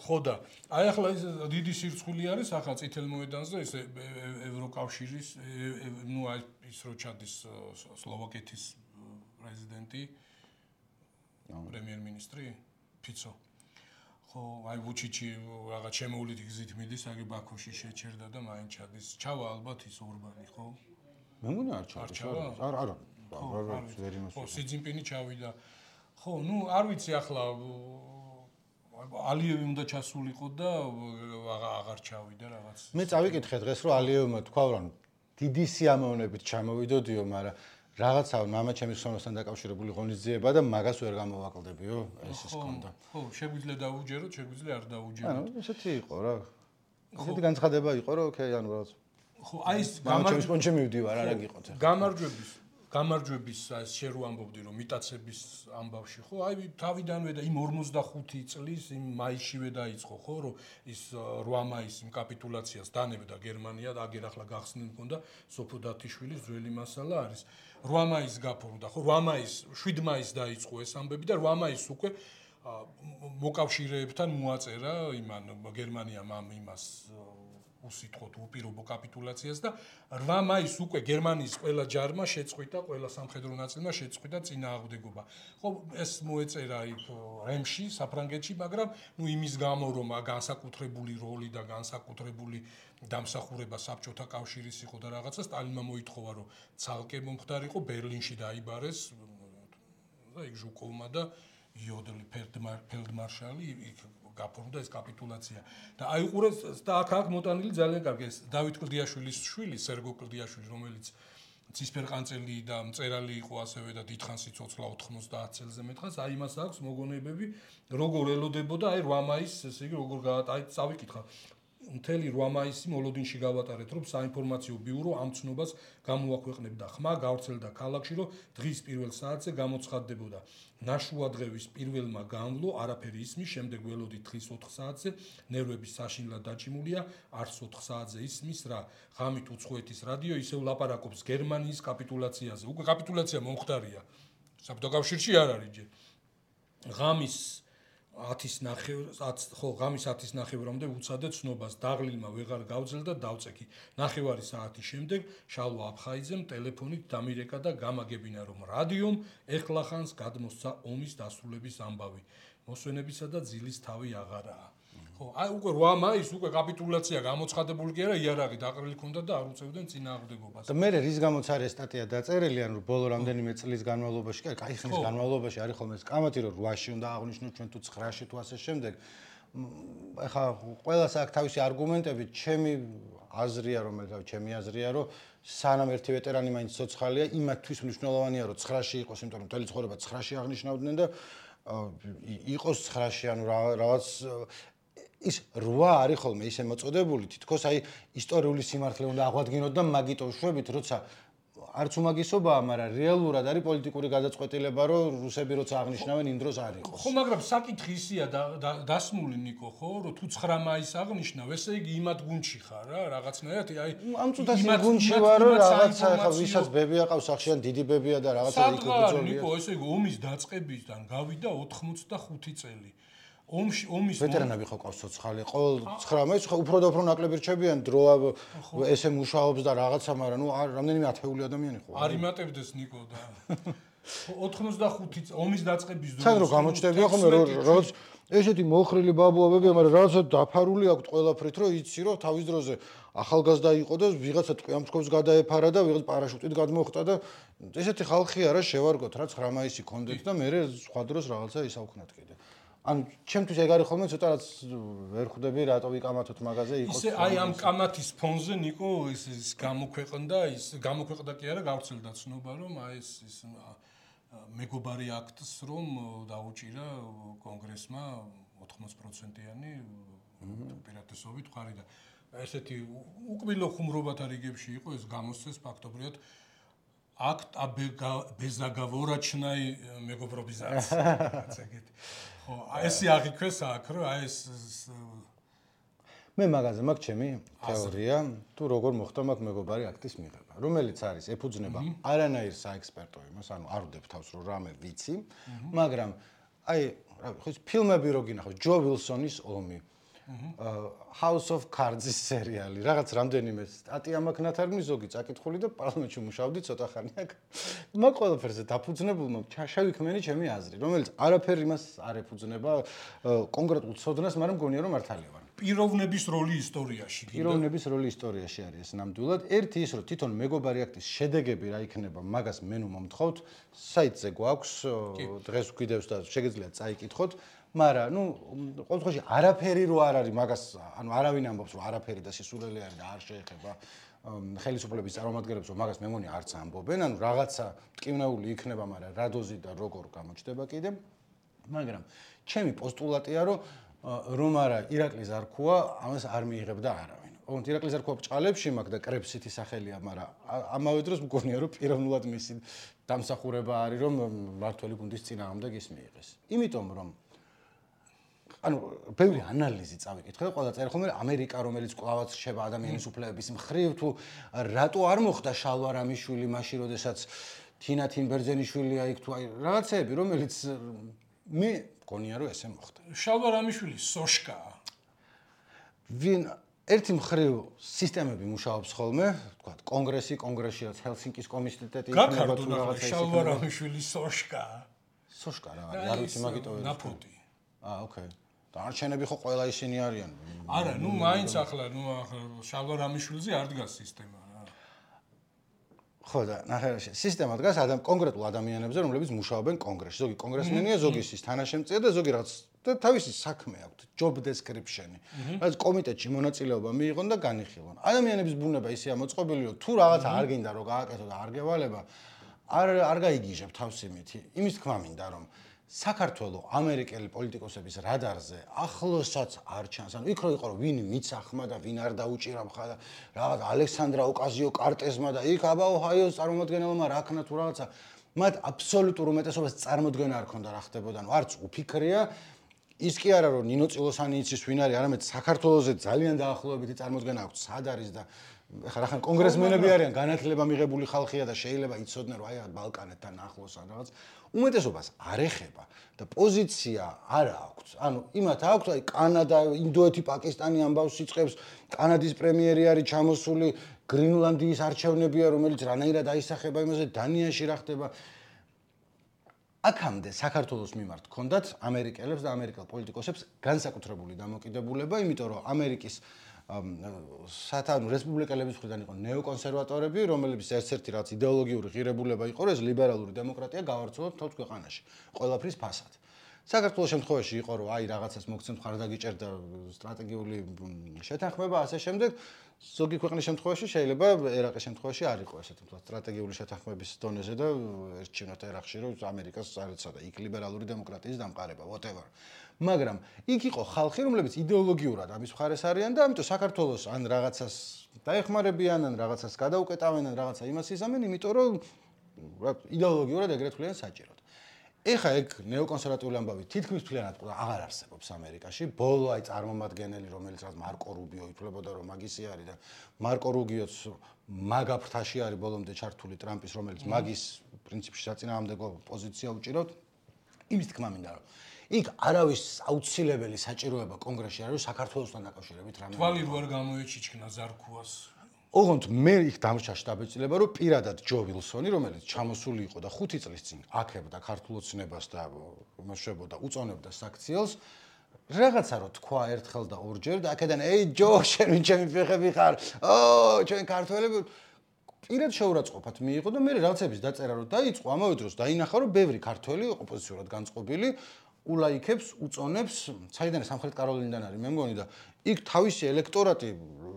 ხო და აი ახლა ეს დიდი სირცხვილი არის ახლა წითელ მოედანზე ეს ევროკავშირის ნუ აი ის რო ჩადის სლოვაკეთის პრეზიდენტი პრემიერ-მინისტრი ფიცო ხო აი ვუჩიჩი რაღაც შემოვლით გზით მიდის აგი ბაქოში შეჩერდა და მაინც ჩადის ჩავა ალბათ ის ორბანი ხო მე მგონი არ ჩავა არა ვერ იმას ხო სიძინპინი ჩავიდა ხო ნუ არ ვიცი ახლა ალიევი უნდა ჩასულიყო და აღარ ჩავიდა რაღაც მე წავიკითხე დღეს რომ ალიევმა თქვა რომ დიდი სიამოვნებით ჩამოვიდოდიო მაგრამ რაღაცა მამა ჩემის ხსოვნასთან დაკავშირებული ღონისძიება და მაგას ვერ გამოვაკლდებიო ეს ის კონდა ხო შეგვიძლია დაუჯეროთ შეგვიძლია არ დაუჯეროთ ანუ ესეთი იყო რა ესეთი განცხადება იყო რომ ოკეი ანუ რაღაც ხო აი ეს გამარჯვების მივდივარ არა გიყოთ გამარჯვების აი შე რო ამბობდი რომ მიტაცების ამბავში ხო აი თავიდანვე და იმ 45 წლის იმ მაისშივე დაიწყო ხო რომ ის 8 მაისის იმ კაპიტულაციას დანებდა გერმანია და აგერ ახლა გახსნილ მქონდა სოფო დათიშვილის ძველი მასალა არის 8 მაისს გაფორმდა ხო 8 მაისს 7 მაისს დაიწყო ეს ამბები და 8 მაისს უკვე მოკავშირეებთან მოაწერა იმან გერმანიამ ამ იმას უსიტყვოდ უპირობო კაპიტულაციას და 8 მაისს უკვე გერმანიის ყველა ჯარმა შეწყვიტა, ყველა სამხედრო ნაწილმა შეწყვიტა წინააღმდეგობა. ხო, ეს მოეწერა იქ რემში, საფრანგეთში, მაგრამ ნუ იმის გამო რომ განსაკუთრებული როლი და განსაკუთრებული დამსახურება საბჭოთა კავშირის იყო და რაღაცა სტალინმა მოითხოვა რომ ცალკე მომხდარიყო ბერლინში დაიბარეს და იქ ჟუკოვმა და იოდელი ფელდმარშალი იქ გაფორმდა ეს კაპიტულაცია და აიყურეს და აქ მოტანილი ძალიან კარგი ეს დავით კლდიაშვილის შვილი სერგო კლდიაშვილი რომელიც ცისფერყანწელი და მწერალი იყო ასევე და დიდხანს იცოცხლა 90 წელზე მეტყას აი მას აქვს მოგონებები როგორ ელოდებოდა აი 8 მაისს ესე იგი როგორ აი წავიკითხა მთელი 8 მაისი მოლოდინში გავატარეთ, რომ საინფორმაციო ბიურო ამ ცნობას გამოაქვეყნებდა. ხმა გავრცელდა ქალაქში, რომ დღის პირველ საათზე გამოცხადდებოდა. ნაშუადღევის პირველმა განვლო არაფერი ისმის, შემდეგ ველოდით დღის 4 საათზე, ნერვები საშინლად დაჭიმულია, არც 4 საათზე ისმის რა. ღამით უცხოეთის რადიო ისევ ლაპარაკობს გერმანიის კაპიტულაციაზე. უკვე კაპიტულაცია მომხდარია. საბჭოთა კავშირში არ არის ჯერ. ღამის 10:30 ნახევრამდე უცადე ცნობას დაღლილმა ვეღარ გავძელდა დავწექი. ნახევარი საათის შემდეგ შალვა აფხაიძემ ტელეფონით დამირეკა და გამაგებინა, რომ რადიომ ეხლახანს გადმოსცა ომის დასრულების ამბავი. მოსვენებისა და ძილის თავი აღარაა. ხო, აი უკვე 8 მაისს უკვე კაპიტულაცია გამოცხადებული კი არა, იარაღი დაყრილი ქონდა და არ უწევდნენ წინააღმდეგობას. და მე რის გამოც არის სტატია დაწერილი, ანუ ბოლო რამდენიმე წლის განმავლობაში, კაი ხნის განმავლობაში არის ხოლმე ეს კამათი, რომ 8-ში უნდა აღნიშნოთ ჩვენ თუ 9-ში თუ ასე შემდეგ. ეხლა ყველას აქვს თავისი არგუმენტები, ჩემი აზრია, რომ სანამ ერთი ვეტერანი მაინც ცოცხალია, იმათთვის მნიშვნელოვანია, რომ 9-ში იყოს, იმიტომ რომ მთელი ცხოვრება 9-ში აღნიშნავდნენ და იყოს 9-ში, ანუ რაღაც ის 8 არის ხოლმე ისე მოწოდებული, თითქოს აი ისტორიული სიმართლე უნდა აღვადგინოთ და მაგიტო შვებით, როცა არც უმაგისობაა, მაგრამ რეალურად არის პოლიტიკური გადაწყვეტილება, რომ რუსები როცა აღნიშნავენ იმ დროს არ იყოს. ხო, მაგრამ საკითხი ისია დასმული ნიკო, ხო, რომ თუ 9 მაისს აღნიშნავ, ესე იგი იმათ გუნდში ხარ რა, რაღაცნაირად, აი ამ წუთას იმ გუნდში ვარ, რომ რაღაცა ხა ვისაც ბები აყავს სახში ან დიდი ბებია და რაღაცა იქ უძოლია. ნიკო, ესე იგი ომის დაწყებისგან გავიდა 85 წელი. ომის ვეტერანები ხო ყავს ცოცხალი, ყოველ 9 მაისს უფრო და უფრო ნაკლები რჩებიან დრო ესე მუშაობს და რაღაცა, მაგრამ ნუ რამდენიმე ათეული ადამიანი ხო არ იმატებდეს ნიკო და 85 ომის დაწყების დროს თან რო გამოჩნდებია ხოლმე როგორც ესეთი მოხრილი ბაბუებია, მაგრამ რაღაცა დაფარული აქვს ყველაფრით, რომ იცი რომ თავის დროზე ახალგაზრდა იყო და ვიღაცა ტყვიამსხობს გადაეფარა და ვიღაც პარაშუტით გადმოხტა და ესეთი ხალხი არა შევარგოთ რა 9 მაისი კონდეთ და მე სხვა დროს რაღაცა ისაუქნათ კიდე. ანუ ჩემთვის ეგ არის ხოლმე ცოტა რაც ვერ ხვდები რატო ვიკამათოთ მაგაზე იყოს. ისე აი ამ კამათის ფონზე ნიკო ის გამოქვეყნდა კი არა გავრცელდა ცნობა რომ აი ეს მეგობარი აქტს რომ დაუჭირა კონგრესმა 80%-იანი უპირატესობით ხარი და ესეთი უკბილო ხუმრობათა რიგებში იყო ეს გამოსცეს ფაქტობრივად akt безоговорочной мегопробизации. ხო, ესე აღიქვეს აქ, რომ აი ეს მე მაგაზე მაქვს ჩემი თეორია, თუ როგორ მოხდა მაგ მეგობარი აქტის მიღება, რომელიც არის ეფუძნება არანაირ საექსპერტო იმას, ანუ არ ვდებ თავს რომ რამე ვიცი, მაგრამ აი ხო ფილმები რო გინახავთ, ჯო ვილსონის ომი, House of Cards-ის სერიალი, რაღაც რამდენიმე სტატია მაქვს ნათარგმნი, ზოგი წაკითხული და პარლამენტში მუშაობდი ცოტა ხანი აქ. მაგ ყველაფერზე დაფუძნებულმა შევიქმნენი ჩემი აზრი, რომელიც არაფერ იმას არ ეფუძნება კონკრეტულ ცოდნას, მაგრამ მგონია რომ მართალია ვარ. პიროვნების როლი ისტორიაში. პიროვნების როლი ისტორიაში არის ეს ნამდვილად. ერთი ის რომ თვითონ მეგობარი აქტის შედეგები რა იქნება, მაგას მე ნუ მომთხოვთ, საიტზე გვაქვს, დღეს ვგვიდევს და შეგიძლიათ წაიკითხოთ. მაგრამ ნუ ყოველ შემთხვევაში არაფერი რო არ არის მაგას, ანუ არავინ ამბობს რომ არაფერი და სისულელე არის და არ შეეხება ხელისუფლების წარმომადგენლებს, რომ მაგას მე მგონი არც ამბობენ, ანუ რაღაცა ტკივნეული იქნება, მაგრამ რა დოზი და როგორ გამოჩნდება კიდე. მაგრამ ჩემი პოსტულატია რომ არა ირაკლი ზარქუა ამას არ მიიღებდა არავინ. ოღონდ ირაკლი ზარქუა ბჭყალებში მაქვს და კრებსითი სახელია, მაგრამ ამავე დროს მგონია რომ პიროვნულად მისი დამსახურება არის რომ მართველი გუნდის წინააღმდეგ ის მიიღეს. იმიტომ რომ ანუ ბევრი ანალიზი წავიკითხე და ყველა წერე ხოლმე ამერიკა რომელიც კლავაც რჩება ადამიანის უფლებების მხრივ თუ რატო არ მოხდა შალვა რამიშვილი მაშინ როდესაც თინა თინბერძენიშვილია იქ თუ აი რაღაცეები რომელიც მე მგონია რომ ესე მოხდა. შალვა რამიშვილი სოშკაა. ვინ ერთი მხრივ სისტემები მუშაობს ხოლმე, თქვა კონგრესში რაც ჰელსინკის კომიტეტი იქნება თუ რაღაცა შალვა რამიშვილი სოშკაა. სოშკა რა არის? არ ვიცი მაგიტო ვერ. ნაფოტი. ოკეი. დარჩენები ხო ყველა ისინი არიან. არა, ნუ მაინც ახლა შალვა რამიშვილზე არ დგას სისტემა რა. ხო და ნახე სისტემა დგას კონკრეტულ ადამიანებზე, რომლებიც მუშაობენ კონგრესში. ზოგი კონგრესმენია, ზოგი ის თანაშემწეა და ზოგი რაღაც და თავისი საქმე აქვთ, job description-ი. რაც კომიტეტში მონაწილეობა მიიღონ და განიხილონ. ადამიანების ბუნება ისეა მოწყობილი, რომ თუ რაღაცა არ გინდა რომ გააკეთო და არ გევალება, არ გაიგიჟებ თავს იმითი. იმის თქმა მინდა რომ საქართველოს ამერიკელი პოლიტიკოსების რადარზე ახლოსაც არ ჩანს. ანუ იქ რო იყო რომ ვინ მიცახმა და ვინ არ დაუჭირა მხა და რაღაც ალექსანდრა ოკაზიო-კარტეზმა და იქ აბა ოჰაიოს წარმომადგენელმა რა ქნა თუ რაღაცა მათ აბსოლუტურ უმეტესობას წარმოდგენა არ ქონდა რა ხდებოდა. ანუ არც უფიქრია ის კი არა რომ ნინო წილოსანი იცის ვინ არის, არამედ საქართველოსზე ძალიან დაახლოებითი წარმოდგენა აქვს სად არის და ხან კონგრესმენები არიან განათლება მიღებული ხალხია და შეიძლება იცოდნენ რომ აი ბალკანეთთან ახლოს ან რაღაც უმეტესობას არ ეხება და პოზიცია არ აქვს. ანუ იმათ აქვს აი კანადა, ინდოეთი, პაკისტანი ამბავს იწყებს, კანადის პრემიერი არის ჩამოსული, გრინლანდიის არჩევნებია რომელიც რანაირად აისახება იმაზე, დანიაში რა ხდება. აქამდე საქართველოს მიმართ ჰქონდათ ამერიკელებს და ამერიკელ პოლიტიკოსებს განსაკუთრებული დამოკიდებულება, იმიტომ რომ ამერიკის სათანადო რესპუბლიკელების მხრიდან იყო ნეოკონსერვატორები, რომლებიც ერთ-ერთი რაც იდეოლოგიური ღირებულება იყო, ეს ლიბერალური დემოკრატია გავავრცელოთ თავს ქვეყანაში, ყველაფრის ფასად. საქართველოს შემთხვევაში იყო რომ აი რაღაცას მოგცემთ ხარდაგიჭერ და სტრატეგიული შეთანხმება ასე შემდეგ. ზოგი ქვეყნის შემთხვევაში შეიძლება ერაყის შემთხვევაში არ იყო ესეთი სტრატეგიული შეთანხმების დონეზე და ერჩივნათ ერაყში რომ ამერიკას წარეცა და იქ ლიბერალური დემოკრატიის დამყარება whatever. მაგრამ იქ იყო ხალხი რომლებიც იდეოლოგიურად ამის მხარეს არიან და ამიტომ საქართველოს ან რაღაცას დაეხმარებიან ან რაღაცას გადაუკეტავენ ან რაღაცა იმას იზამენ, იმიტომ რომ იდეოლოგიურად ეგრეთ ვთვლიან საჭიროდ. ეხა ეგ ნეოკონსერვატიული ამბავი თითქმის მთლიანად აღარ არსებობს ამერიკაში. ბოლო აი წარმომადგენელი რომელიც რაც მარკო რუბიო ითვლებოდა რომ მაგისი არის და მარკო რუბიოც მაგა ფრთაში არის ბოლომდე ჩართული ტრამპის რომელიც მაგის პრინციპში საწინააღმდეგო პოზიცია უჭირავთ. იმის თქმა მინდა რომ იქ არავის აუცილებელი საჭიროება კონგრესში არ არის საქართველოსთან დაკავშირებით რამე. თვალი რო არ გამოეჩიჩქნა ზარქუას. ოღონდ მე იქ დამრჩა შტაბ-ეწილება რომ პირადად ჯო ვილსონი რომელიც ჩამოსული იყო და 5 წლის წინ აქებდა ქართულ ოცნებას და იმუშავებოდა უწონებდა საქციელს რაღაცა რო თქვა ერთხელ და ორჯერ და აქედან ეი ჯო შენ ვინ ჩემი ფეხები ხარ ო ჩვენ ქართველები პირად შეურაცხყოფად მიიღო და მე რაღაცების დაწერა რომ დაიწყო ამავე დროს დაინახა რომ ბევრი ქართველი ოპოზიციურად განწყობილი ულაიქებს უწონებს საიდან სამხრეთ კაროლინიდან არის მე მგონი და იქ თავისი ელექტორატი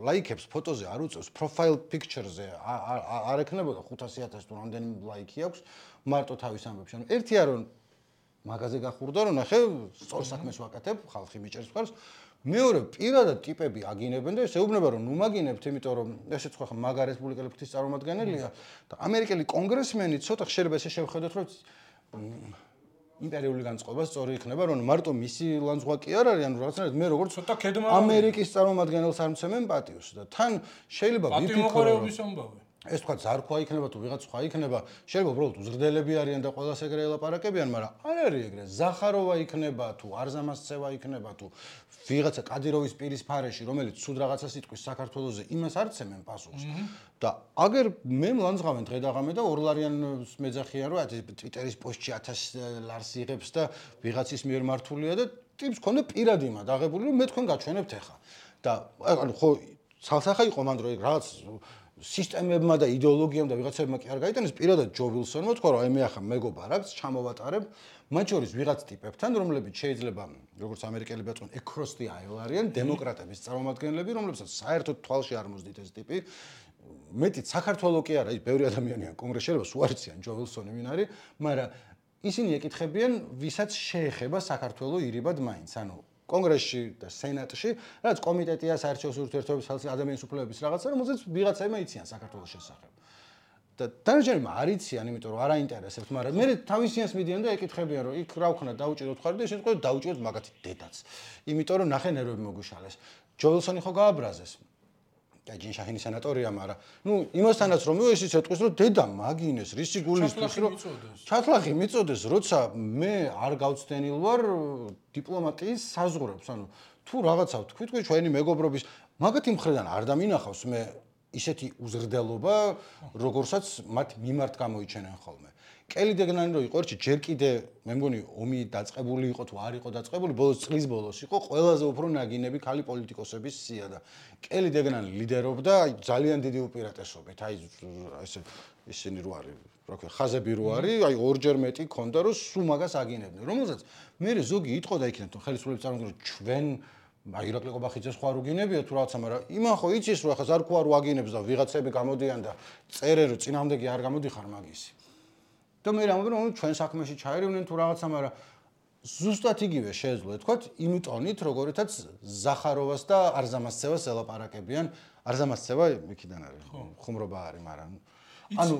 ლაიქებს ფოტოზე არ უწევს profile picture-ზე არ ეკნებოდა 500,000 თუ რამდენი ლაიქი აქვს მარტო თავის ამბებში. ანუ ერთია რომ მაგაზე გახურდა რომ ნახე სწორ საქმეს ვაკეთებ, ხალხი მიჭერს მხარს. მეორე პირადად ტიპები აგინებენ და ესეუბნება რომ ნუ მაგინებთ, იმიტომ რომ ესეც ხო მაგა რესპუბლიკელი ფრთის წარმომადგენელია და ამერიკელი კონგრესმენი ცოტა ხშირება ესე შევხედოთ რომ იმპერიული განწყობა სწორი იქნება, რომ მარტო მისი ლანძღვა კი არ არის, ანუ რაღაცნაირად მე როგორც ცოტა ქედმა ამერიკის წარმომადგენელს არ მცემენ პატიოს და თან შეიძლება ვიფიქრო ამბავი. ეს თქვა ზარქვა იქნება თუ ვიღაც სხვა იქნება, შეიძლება უბრალოდ უზრდელები არიან და ყველას ეგრე ელაპარაკებიან, მაგრამ არ არის ეგრე. ზახაროვა იქნება თუ არზამასცევა იქნება თუ ვიღაცა კადიროვის პირის ფარეში, რომელიც სულ რაღაცას იტყვის საქართველოსზე, იმას არ ცემენ პასუხს. და აგერ მე მლანძღავენ დღე და ღამე და ორლარიანს მეძახიან რომ ტვიტერის პოსტში 1000 ლარს იღებს და ვიღაცის მიერ მართულია და ტიპს ქონდა პირადი იმად აღებული რომ მე თქვენ გაჩვენებთ ახლა. და ანუ ხო ცალსახა იყო მანდ რომ რაღაც სისტემებმა და იდეოლოგიამ და ვიღაცებმა კი არ გაიტანეს პირადად ჯო ვილსონმა თქვა რომ აი მე ახლა მეგობარ აქვს ჩამოვატარებ მათ შორის ვიღაც ტიპებთან რომლებიც შეიძლება როგორც ამერიკელები აწვენ across the aisle არიან დემოკრატების წარმომადგენლები რომლებსაც საერთოდ თვალში არ მოსდით ეს ტიპი მეტიც საქართველოს კი არა ის ბევრი ადამიანია კონგრესში რომ სულ არიციან ჯო ვილსონი ვინ არის მაგრამ ისინი ეკითხებიან ვისაც შეეხება საქართველოს ირიბად მაინც ანუ კონგრესში და სენატში, რაც კომიტეტია საერთაშორისო ურთიერთობების ადამიანის უფლებების რაღაცა, რომელზეც ვიღაცაებმა იციან საქართველოს შესახებ. და დანარჩენებმა არ იციან, იმიტომ რომ არ აინტერესებთ, მაგრამ მე თავისიანს მიდიან და ეკითხებიან, რომ იქ რა ვქნა დაუჭიროთ ხარ და ისინი თქვენ დაუჭიროთ მაგათი დედაც. იმიტომ რომ ნახე ნერვები მოგვიშალეს. ჯო ვილსონი ხო გააბრაზეს. და ჯინშაჰინის სანატორია, მაგრამ ნუ იმასთანაც რომ ისიც ეთქვის რომ დედა მაგინეს, რისი გულისთვის რომ ჩათლახი მიწოდეს, როცა მე არ გავცდენილ ვარ დიპლომატიის საზღვრებს, ანუ თუ რაღაცა თქვი ჩვენი მეგობრობის მაგათი მხრიდან არ დამინახავს მე ისეთი უზრდელობა, როგორსაც მათ მიმართ გამოიჩენენ ხოლმე. კელი დეგნანი რო იყო ერთში ჯერ კიდე მე მგონი ომი დაწყებული იყო თუ არ იყო დაწყებული ბოლოს წლის ბოლოს იყო ყველაზე უფრო ნაგინები ქალი პოლიტიკოსების სია და კელი დეგნანი ლიდერობდა ძალიან დიდი უპირატესობით აი ესე ისინი რო არის რა ქვია ხაზები რო არის აი ორჯერ მეტი ქონდა რომ სულ მაგას აგინებდნენ რომელსაც მე ზოგი იტყოდა იქნებ თუ ხელისუფლების წარმომადგენლები ჩვენ აი ირაკლი ყობახიძეს ხო არ უგინებია თუ რაღაცა მაგრამ იმან ხო იცის რომ ახლა ზარქვა რო აგინებს და ვიღაცები გამოდიან და წერენ რომ წინამდე კი არ გამოდიხარ მაგისი და მე რამბობ რომ ჩვენ საქმეში ჩაერივნენ თუ რაღაცა მაგრამ ზუსტად იგივე შეეძლო ეთქვათ იმ ტონით, როგორითაც ზახაროვას და არზამასცევას ელაპარაკებიან. არზამასცევა იქიდან არის, ხუმრობა არის, მაგრამ ანუ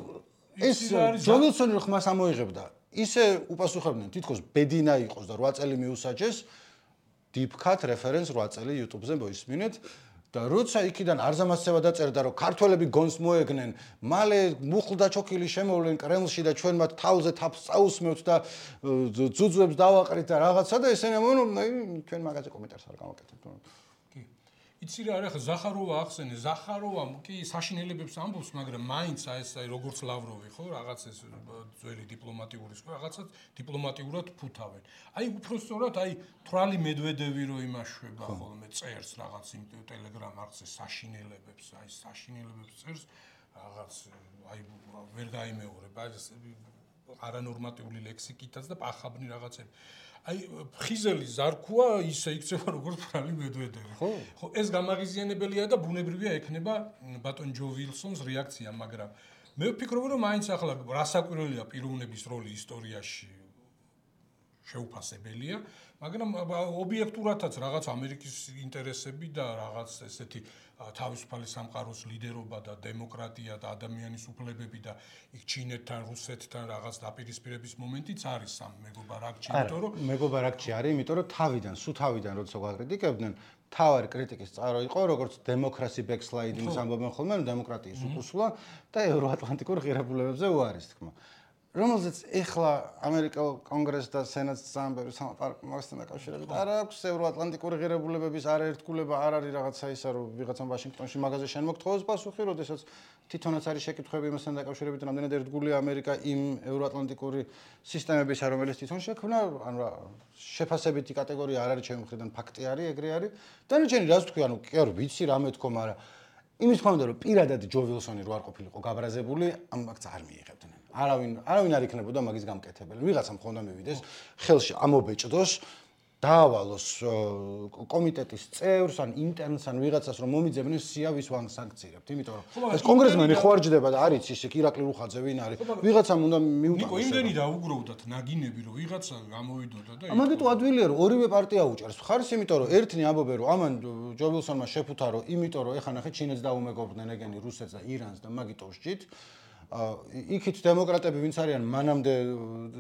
ეს ჯო ვილსონი რო ხმას ამოიღებდა, ისე უპასუხებდნენ, თითქოს ბედინა იყოს და 8 წელი მიუსაჯეს, deep-cut reference 8 წელი YouTube-ზე მოისმინეთ. და როცა იქიდან არზამასცევა დაწერდა, რომ ქართველები გონს მოეგნენ, მალე მუხლდა ჩოქილი შემოვლენ კრემლში და ჩვენ მათ თავზე თავს წაუსმევთ და ძუძუებს დავაყრით და რაღაცა და ესენი ამბობენ, ჩვენ მაგაზე კომენტარს არ გავაკეთებთ. კი. იცი რა არის, ზახაროვა ახსენე, ზახაროვამ კი საშინელებებს ამბობს, მაგრამ მაინც ეს როგორც ლავროვი, ხო, რაღაც ეს ძველი დიპლომატიური სხვა, რაღაცა დიპლომატიურად ფუთავენ. აი უფრო სწორად, აი თრალი მედვედევი რო იმაშვება ხოლმე წერს რაღაც იმ ტელეგრამ არხზე საშინელებებს, აი საშინელებებს წერს რაღაც აი ვერ გაიმეორება, ეს არანორმატიული ლექსიკითაც და პახაბნი რაღაცები. აი ხიზელი ზარქუა ისე იქცევა როგორც თრალი მედვედევი. ხო, ეს გამაღიზიანებელია და ბუნებრივია ექნება ბატონ ჯო ვილსონს რეაქცია, მაგრამ მე ვფიქრობ, რომ მაინც ახლა რასაკვირველია პიროვნების როლი ისტორიაში შეუფასებელია, მაგრამ ობიექტურადაც რაღაც ამერიკის ინტერესები და რაღაც ესეთი თავისუფალი სამყაროს ლიდერობა და დემოკრატია და ადამიანის უფლებები და იქ ჩინეთთან, რუსეთთან რაღაც დაპირისპირების მომენტიც არის სამ მეგობარაკში, იმიტომ რომ მეგობარაკში არის, იმიტომ რომ თავიდან როცა გვაკრიტიკებდნენ, თავარი კრიტიკის წყარო იყო, როგორც დემოკრასი ბექსლაიდინგს ამბობენ ხოლმე, დემოკრატიის უკუსვლა და ევროატლანტიკურ ღირებულებებზე უარის თქმა. რომელზეც ეხლა ამერიკელ კონგრესს და სენატს სამბერი სამყაროსთან დაკავშირებით არ აქვს ევროატლანტიკური ღირებულებების არაერთგულება არ არის რაღაცა ისა რომ ვიღაცამ ვაშინგტონში მაგაზე შენ მოგთხოვოს პასუხი, როდესაც თვითონაც არის შეკითხვები იმასთან დაკავშირებით, რამდენად ერთგულია ამერიკა იმ ევროატლანტიკური სისტემებისა, რომელიც თვითონ შექმნა, ანუ შეფასებითი კატეგორია არ არის ჩემი მხრიდან ფაქტი არის, ეგრე არის. დანარჩენი რაც თქვი, ანუ კი არ ვიცი რამე თქო, მაგრამ იმის თქმა უნდა რომ პირადად ჯო ვილსონი რო არ ყოფილიყო გაბრაზებული, ამ ფაქტს არ მიიღებდნენ. არავინ არ იქნებოდა მაგის გამკეთებელი. ვიღაცამ ხონდა მივიდეს ხელში ამობეჭდოს, დაავალოს კომიტეტის წევრს ან ინტერნს ან ვიღაცას რომ მომიძებნეს სიავის სანქციებთ. იმიტომ რომ ეს კონგრესმენი ხო არ ჯდება და არის ისე ირაკლი რუხაძე ვინ არის. ვიღაცამ უნდა მიუტანოს. ნიკო, იმდენი დაუგროვდათ ნაგინები რომ ვიღაცა გამოვიდოდა და ამიტომ ადვილია რომ ორივე პარტია უჭერს მხარს, იმიტომ რომ ერთნი ამბობენ რომ ამან ჯო ვილსონმა შეფუთა რომ იმიტომ რომ ეხა ნახე ჩინეთს დაუმეგობრდნენ ეგენი რუსეთს და ირანს და მაგიტო ვსჯით. იქით დემოკრატები ვინც არიან მანამდე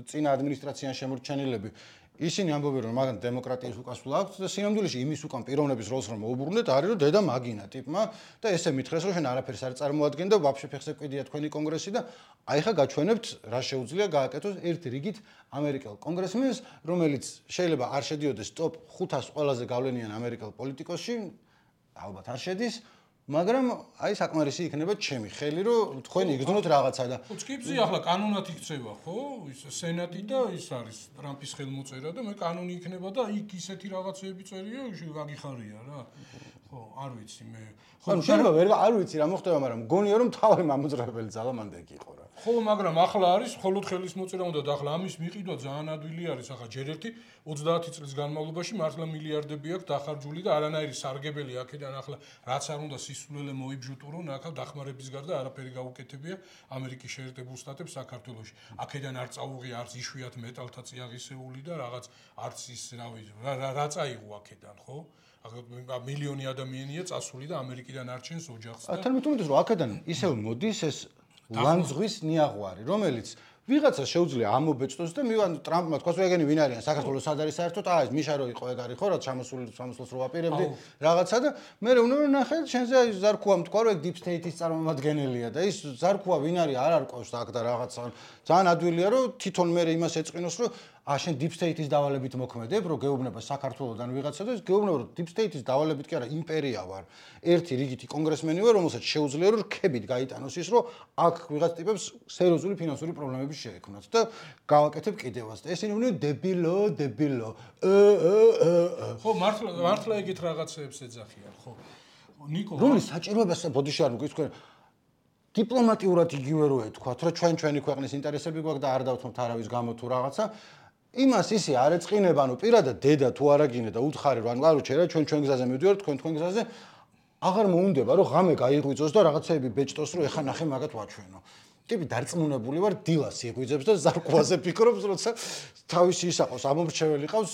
წინა ადმინისტრაციან შემორჩენილები ისინი ამბობენ რომ მაგან დემოკრატიის უკასვლა აქვს და სინამდვილეში იმის უკან პიროვნების როლს რომ მოუბრუნდეთ არის რომ დედა მაგინა ტიპმა და ესე მითხრეს რომ შენ არაფერს არ წარმოადგენ და ვაფშე ფეხზე კვიდია თქვენი კონგრესი და აი ხა გაჩვენებთ რა შეუძლია გააკეთოს ერთი რიგით ამერიკელ კონგრესმენს რომელიც შეიძლება არ შედიოდეს ტოპ 500 ყველაზე გავლენიან ამერიკელ პოლიტიკოსში ალბათ არ შედის მაგრამ აი საკმარისი იქნება ჩემი ხელი რომ თქვენ იგრძნოთ რაღაცა და უცკიფზე ახლა კანონად იქცევა ხო ის სენატი და ის არის ტრამპის ხელმოწერა და მე კანონი იქნება და იქ ისეთი რაღაცეები წერია გაგიხარია რა ხო არ ვიცი მე ხო შეიძლება ვერ არ ვიცი რა მოხდება მაგრამ მგონია რომ თავი მამოძრავებელი ძალა მანდ ეგ იყო რა ხო მაგრამ ახლა არის მხოლოდ ხელის მოწერა უნდა და ახლა ამის მიყიდვა ძალიან ადვილი არის ახლა ჯერ ერთი 30 წლის განმავლობაში მართლა მილიარდები აქვს დახარჯული და არანაირი სარგებელი აქედან ახლა რაც არ უნდა სისულელე მოიბჟუტურო ნახავ დახმარების გარდა არაფერი გაუკეთებია ამერიკის შეერთებულ შტატებს საქართველოში აქედან არ წაუღია არც იშვიათ მეტალთა წიაღისეული და რაღაც არც ის რა წაიღო აქედან ხო მილიონი ადამიანია წასული და ამერიკიდან არჩენს ოჯახს და თუმცა რომ აქედან ისევ მოდის ეს ლანძღვის ნიაღვარი რომელიც ვიღაცა შეუძლია ამობეჭდოს და მივან ტრამპმა თქვას რომ ეგენი ვინ არიან საქართველოს სად არის საერთოდ ეს მიშა რო იყო ეგ არის ხო რა სამოსულს რო ვაპირებდი რაღაცა და მე უნდა ნახე შენზე აი ზარქუა თქვა რომ ეგ deep state-ის წარმომადგენელია და ის ზარქუა ვინ არის არ არკვევს აქ და რაღაცა ძალიან ადვილია რომ თვითონ მე იმას ეწყინოს რომ შენ deep state-ის დავალებით მოქმედებ რომ გეუბნება საქართველოსდან ვიღაცა და გეუბნება რომ deep state-ის დავალებით კი არა იმპერია ვარ ერთი რიგითი კონგრესმენი ვარ რომელსაც შეუძლია რომ რქებით გაიტანოს ის რომ აქ ვიღაც ტიპებს სერიოზული ფინანსური პრობლემები შეექმნათ და გავაკეთებ კიდევაც და ესენი უნდა დებილო ხო მართლა ეგეთ რაღაცეებს ეძახიან ხო ნიკო რომლის საჭიროებას ბოდიში არ მოგის თქვენ დიპლომატიურად იგივე რო ეთქვათ რომ ჩვენი ქვეყნის ინტერესები გვაქვს და არ დავთმობთ არავის გამო თუ რაღაცა იმას ისე არ ეწყინება ანუ პირადად დედა თუ არაგინე და უთხარი რომ ანუ ჩერა ჩვენ გზაზე მივდივართ თქვენ გზაზე აღარ მოუნდება რომ ღამე გაიღვიძოს და რაღაცეები ბეჭდოს რომ ეხა ნახე მაგათ ვაჩვენო ტიპი დარწმუნებული ვარ დილას იღვიძებს და ზარკვაზე ფიქრობს, როცა თავისი ისაყოს ამომრჩეველი ყავს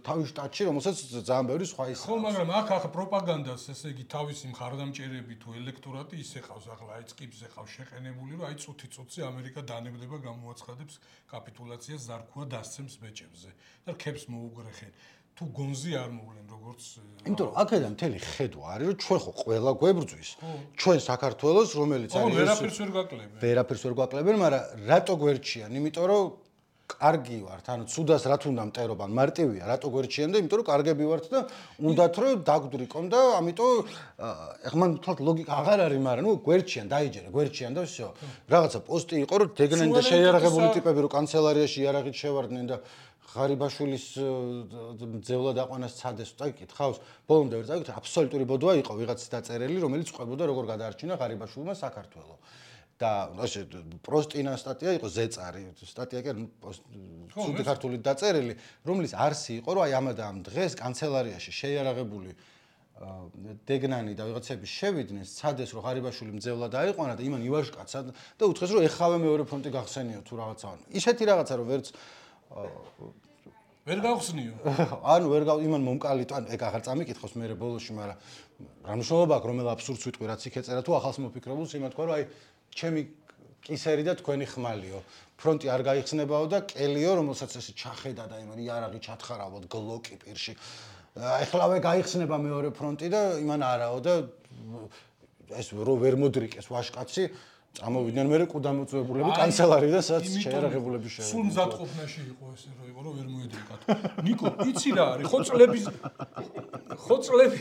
თავის შტატში, რომელსაც ძალიან ბევრი სხვა ის. ხო, მაგრამ აქ პროპაგანდას, ესე იგი, თავისი მხარდამჭერები თუ ელექტორატი ისე ყავს, ახლა აი წკიბზე ყავს შეყენებული, რომ აი წუთი-წუთი ამერიკა დანებდება გამოაცხადებს კაპიტულაციას, ზარქუა დასცემს ბეჭებზე და რქებს მოუგრეხენ. თუ გონზე არ მოვლენ როგორც იმიტომ რომ აქედან მთელი ხედვა არის რომ ჩვენ ხო ყველა გვებრძვის ჩვენ საქართველოს რომელიც არის ვერაფერს ვერ გაკლებ ვერაფერს ვერ გაკლებ მაგრამ რატო გვერჩიან იმიტომ რომ კარგი ვართ ანუ ცუდას რა თუნდა მტერობან მარტივია რატო გვერჩიან და იმიტომ რომ კარგები ვართ და უნდათ რომ დაგდვრიკონ და ამიტომ ეხლა მან თვალ ლოგიკა აღარ არის მაგრამ ნუ გვერჩიან დაიჯერე გვერჩიან და всё რაღაცა პოსტი იყო რომ დეგნენ და შეიარაღებული ტიპები რომ კანცელარიაში იარაღით შევარდნენ და ღარიბაშვილის ძევლა დაყვანას ცადეს წაიკითხავს ბოლომდე ვერ წაიკითხე აბსოლუტური ბოდვა იყო ვიღაცის დაწერილი რომელიც ყვებოდა როგორ გადაარჩინა ღარიბაშვილმა საქართველო და ასე პროსტინა სტატია იყო ზეწარი სტატია კი ცუდი ქართული დაწერილი რომლის არსი იყო რომ აი ამადა ამ დღეს კანცელარიაში შეიარაღებული დეგნანი და ვიღაცები შევიდნენ ცადეს რომ ღარიბაშვილი მძევლა დაიყვანა და იმან ივაშკაცა და უთხრეს რომ ეხავე მეორე ფრონტი გახსენიო თუ რაღაცა ისეთი რაღაცა რომ ვერც ვერ გავხსნიო. ანუ ვერ იმან მომკალიტო, ანუ ეგ აღარ წამიკითხოს მე ბოლოში, მაგრამ რა მნიშვნელობა აქვს რომელ აბსურდს ვიტყვი რაც იქ ეწერა თუ ახალს მოფიქრებულს იმათ თქვა რომ აი ჩემი კისერი და თქვენი ხმალიო. ფრონტი არ გაიხსნებაო და კელიო რომელსაც ესე ჩახედა და იმან იარაღი ჩათხარავოთ გლოკი პირში. ეხლავე გაიხსნება მეორე ფრონტი და იმან არაო და ეს რო ვერ მოდრიკეს ვაშკაცი ამოვიდნენ მე კუდამოწვებულები კანცელარიდან სადაც შეერაღებულები შევიდნენ. სულ მზადყოფნაში იყო ესე რომ იყო რომ ვერ მოედრიკათ. ნიკო, იცი რა არის? ხოწლები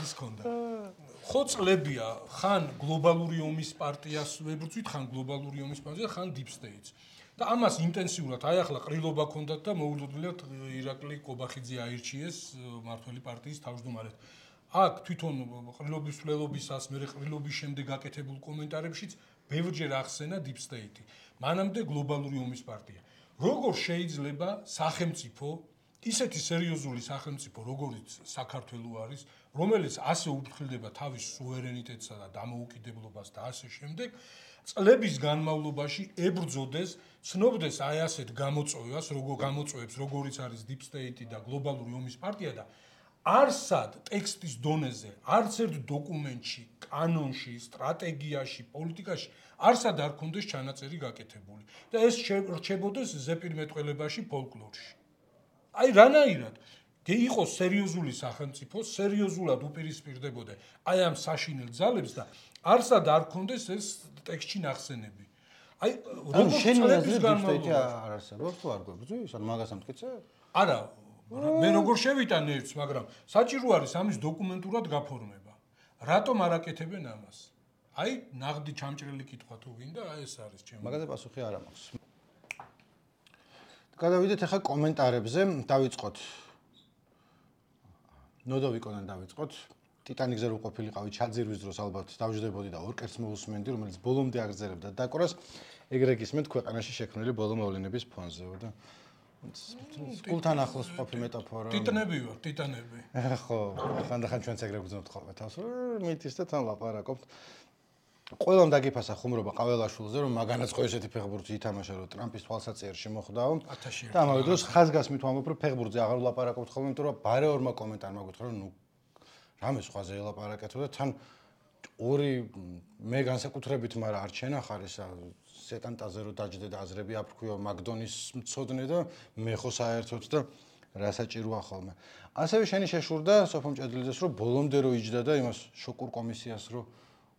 ეს კონდა. ხოწლებია ხან გლობალური ომის პარტიას ვებრძვით, ხან გლობალური ომის პარტიას, ხან deep states. და ამას ინტენსიურად აი ახლა ყრილობა ქონდათ და მოულოდნელად ირაკლი კობახიძე აირჩიეს მართველი პარტიის თავმჯდომარედ. აქ თვითონ ყრილობის ვლელობისას მე ყრილობის შემდეგ გაკეთებულ კომენტარებშიც ბევრჯერ ახსენა deep state-ი. მანამდე გლობალური ომის პარტია. როგორ შეიძლება სახელმწიფო, ისეთი სერიოზული სახელმწიფო, როგორიც საქართველო არის, რომელიც ასე უფრთხილდება თავის სუვერენიტეტსა და დამოუკიდებლობას და ასე შემდეგ, წლების განმავლობაში ებრძოდეს, ცნობდეს აი ასეთ გამოწვევას, როგორ გამოწვევებს, როგორიც არის deep state-ი და გლობალური ომის პარტია და არსად ტექსტის დონეზე, არც ერთ დოკუმენტში, კანონში, სტრატეგიაში, პოლიტიკაში არსად არ ქონდეს ჩანაწერი გაკეთებული და ეს რჩებოდეს ზეპირმეტყველებაში, ფოლკლორში. აი რანაირად იყოს სერიოზული სახელმწიფო, სერიოზულად უპირისპირდებოდა აი ამ საშინელ ძალებს და არსად არ ქონდეს ეს ტექსტში ნახსენები. აი როგორ წლების განმავლობაში არ არსებობს თუ არ გვებრძვის, ან მაგას ამტკიცე? არა მე როგორ შევიტანე ერთს, მაგრამ საჭირო არის ამის დოკუმენტურად გაფორმება. რატომ არ აკეთებენ ამას? აი, ნაღდი ჩამჭრელი კითხვა თუ გინდა, აი ეს არის ჩემი. მაგაზე პასუხი არ მაქვს. გადავიდეთ ახლა კომენტარებზე, დავიწყოთ. ნოდოვიკონან დავიწყოთ. ტიტანიკზე რო ყოფილიყავი ჩაძირვის დროს ალბათ დავждდებოდი და ორკერს მოусმენდი, რომელიც ბოლომდე აგრძელებდა დაკვრას, ეგრე გისმენთ ქვეყანაში შექმნილი ბოლო მოვლენების ფონზე და სკულთან ახლოს ყოფი მეტაფორა. ტიტანები ვარ, ტიტანები. ხო, ხანდახან ჩვენც ეგრე გვძნობთ ხოლმე თავს, რომ მითის და თან ლაპარაკობთ. ყველამ დაგიფასა ხუმრობა ყაველაშვილზე, რომ მაგანაც ხო ესეთი ფეხბურთი ითამაშა, რომ ტრამპის თვალსაჩინოში მოხვდაო. და ამავე დროს ხაზგასმით ვამბობ, რომ ფეხბურთზე აღარ ვლაპარაკობთ ხოლმე, იმიტომ რომ ბარეორმა კომენტარმა გითხრა, რომ ნუ რამე სხვაზე ელაპარაკეთო და თან ორი მე განსაკუთრებით, მაგრამ არ ჩენახარ ისა სეტანტაზე რო დაждდე და აზრები აფრქვიო მაგდონის მწოდნე და მე ხო საერთოდ და რა საჭიროა ხოლმე. ასევე შენი შეშურდა სოფო მჭედლიძეს რომ ბოლომდე რო იჯდა და იმას შოკურ კომისიას რო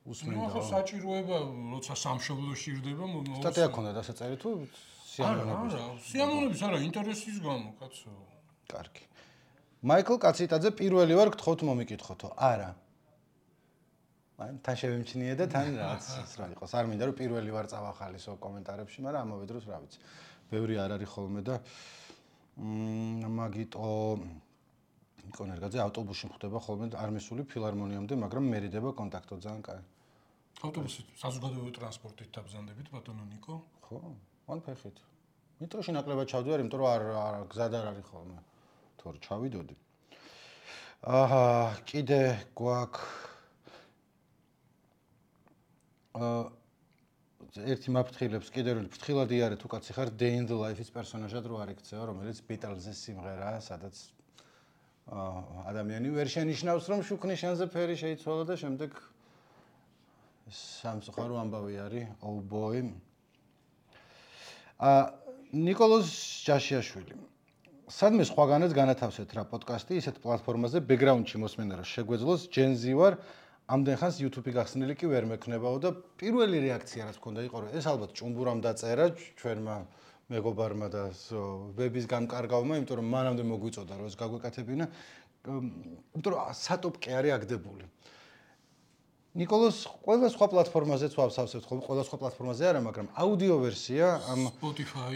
უსმენდა. ნუ ხო საჭიროება, როცა სამშობლოში ირდება, სტატია ქონდა დასაწერი თუ სიამოვნების? არა, სიამოვნების არა, ინტერესის გამო, კაცო. კარგი. მაიკლ კაციტაძე პირველი ვარ გთხოვთ მომიკითხოთო. არა. აი, თან შევემჩნიე და თან რაც რა იყოს. არ მინდა რომ პირველი ვარ წავახალისო კომენტარებში, მაგრამ ამავე დროს რა ვიცი. ბევრი არ არის ხოლმე და მაგიტო ნიკონერგაძე ავტობუსში მხვდება ხოლმე არმესული ფილარმონიამდე, მაგრამ მერიდება კონტაქტო ძალიან კაი. ავტობუსით, საზოგადოებრივი ტრანსპორტით დაბზანდებით ბატონო ნიკო? ხო, ან ფეხით. მეტროში ნაკლებად ჩავდივარ, იმიტომ რომ არ გზად არ არის ხოლმე. თორე ჩავიდოდი. აჰა, კიდე გვაქვს ერთი მაფრთხილებს კიდევ რომ ფრთხილად იარე თუ კაცი ხარ Day in the Life-ის პერსონაჟად რო არ იქცეო, რომელიც Beatles-ის სიმღერაა, სადაც ადამიანი ვერ შენიშნავს რომ შუქნიშანზე ფერი შეიცვალა და შემდეგ სამწუხარო ამბავი არის Oh boy. ნიკოლოზ ჯაშიაშვილი. სადმე სხვაგანაც განათავსეთ რა პოდკასტი ისეთ პლატფორმაზე ბექგრაუნდში მოსმენა რა შეგვეძლოს Gen Z ვარ ამდენ ხანს YouTube-ი გახსნილი კი ვერ მექნებაო და პირველი რეაქცია რაც მქონდა იყო რომ ეს ალბათ ჭუმბურამ დაწერა ჩვენმა მეგობარმა და ვების გამკარგავმა, იმიტომ რომ მანამდე მოგვიწოდა რომ ეს გაგვეკეთებინა, იმიტომ რომ სატოპკე არის აგდებული. ნიკოლოს ყველა სხვა პლატფორმაზეც ვავსავსებთ ხოლმე, ყველა სხვა პლატფორმაზე არა, მაგრამ აუდიო ვერსია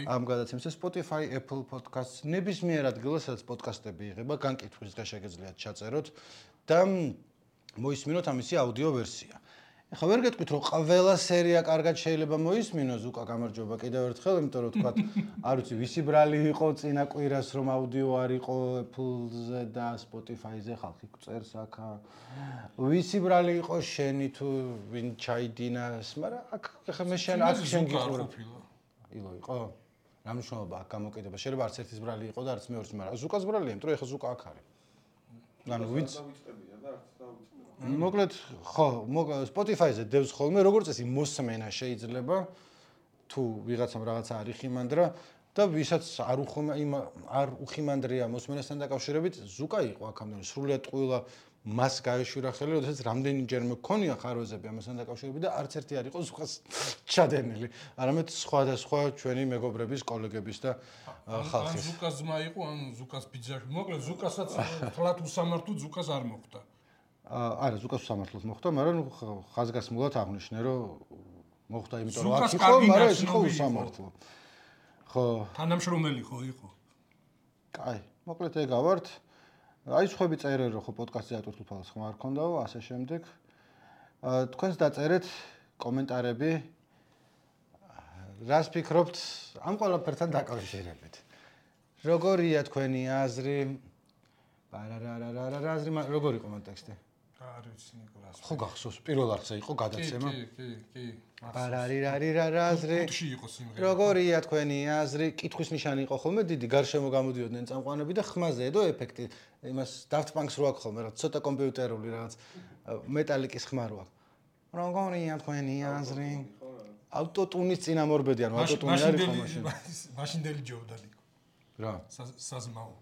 ამ გადაცემის Spotify, Apple Podcasts, ნებისმიერ ადგილას სადაც პოდკასტები იღება, განკითხვის დღე შეგეძლიათ ჩაწეროთ და მოისმინოთ ამისი აუდიო ვერსია. ეხლა ვერ გეტყვით რომ ყველა სერია კარგად შეიძლება მოისმინოს, უკა გამარჯობა კიდევ ერთხელ, იმიტომ რომ თქვა, არ ვიცი, ვისი ბრალი იყო წინა კვირას რომ აუდიო არ იყო Apple-ზე და Spotify-ზე ხალხი წერს აქა. ვისი ბრალი იყო შენი თუ ვინ ჩაიდინას, მაგრამ აქ ეხლა მე აქ შენ გიყურებ. ილო იყო? რა მნიშვნელობა აქ გამოკიდება? შეიძლება არც ერთის ბრალი იყო და არც მეორეს, მაგრამ ზუკას ბრალია, იმიტომ რომ ეხლა ზუკა აქ არის. ანუ ვინც მოკლედ ხო, Spotify-ზე დევს ხოლმე, როგორც წესი მოსმენა შეიძლება თუ ვიღაცამ რაღაცა არ იხიმანდრა და ვისაც არ უხიმანდრია მოსმენასთან დაკავშირებით, ზუკა იყო აქამდე სრულიად ტყუილა მას გაეშვირა ხელი, როდესაც რამდენიჯერ მქონია ხარვეზები ამასთან დაკავშირებით და არც ერთი არ იყო ზუკას ჩადენილი, არამედ სხვადასხვა ჩვენი მეგობრების, კოლეგების და ხალხის. ან ზუკას ძმა იყო, ან ზუკას ბიძაშვილი. მოკლედ ზუკასაც თლათ უსამართლოდ ზუკას არ მოხდა. არა, ზუკას უსამართლოდ მოხდა, მაგრამ ხაზგასმულად აღნიშნე, რომ მოხდა, იმიტომ რომ აქ იყო, მაგრამ ეს იყო უსამართლო. ხო. თანამშრომელი ხო იყო? კაი, მოკლედ ეგა ვართ. აი სხვები წერენ რომ ხო პოდკასტზე ატვირთულფალს ხმა არ ქონდაო, ასე შემდეგ. თქვენს დაწერეთ კომენტარები. რას ფიქრობთ ამ ყველაფერთან დაკავშირებით? როგორია თქვენი აზრი? აზრი როგორ იყო მონტექსტი? არ ვიცი ნიკოლას. ხო გახსოვს, პირველ არხზე იყო გადაცემა. კი. აზრი. როგორია თქვენი აზრი? კითხვის ნიშანი იყო ხოლმე დიდი, გარშემო გამოდიოდნენ წამყვანები და ხმაზე ედო ეფექტი. იმას Daft Punk-ს რო აქვს ხოლმე, რა ცოტა კომპიუტერული რაღაც მეტალიკის ხმა რო აქვს. როგორია თქვენი აზრი? ავტოტუნის წინამორბედი, ანუ ავტოტუნი არის ხო მაშინ? მაშინდელი ჯორდანი იყო. რა? საზმაო.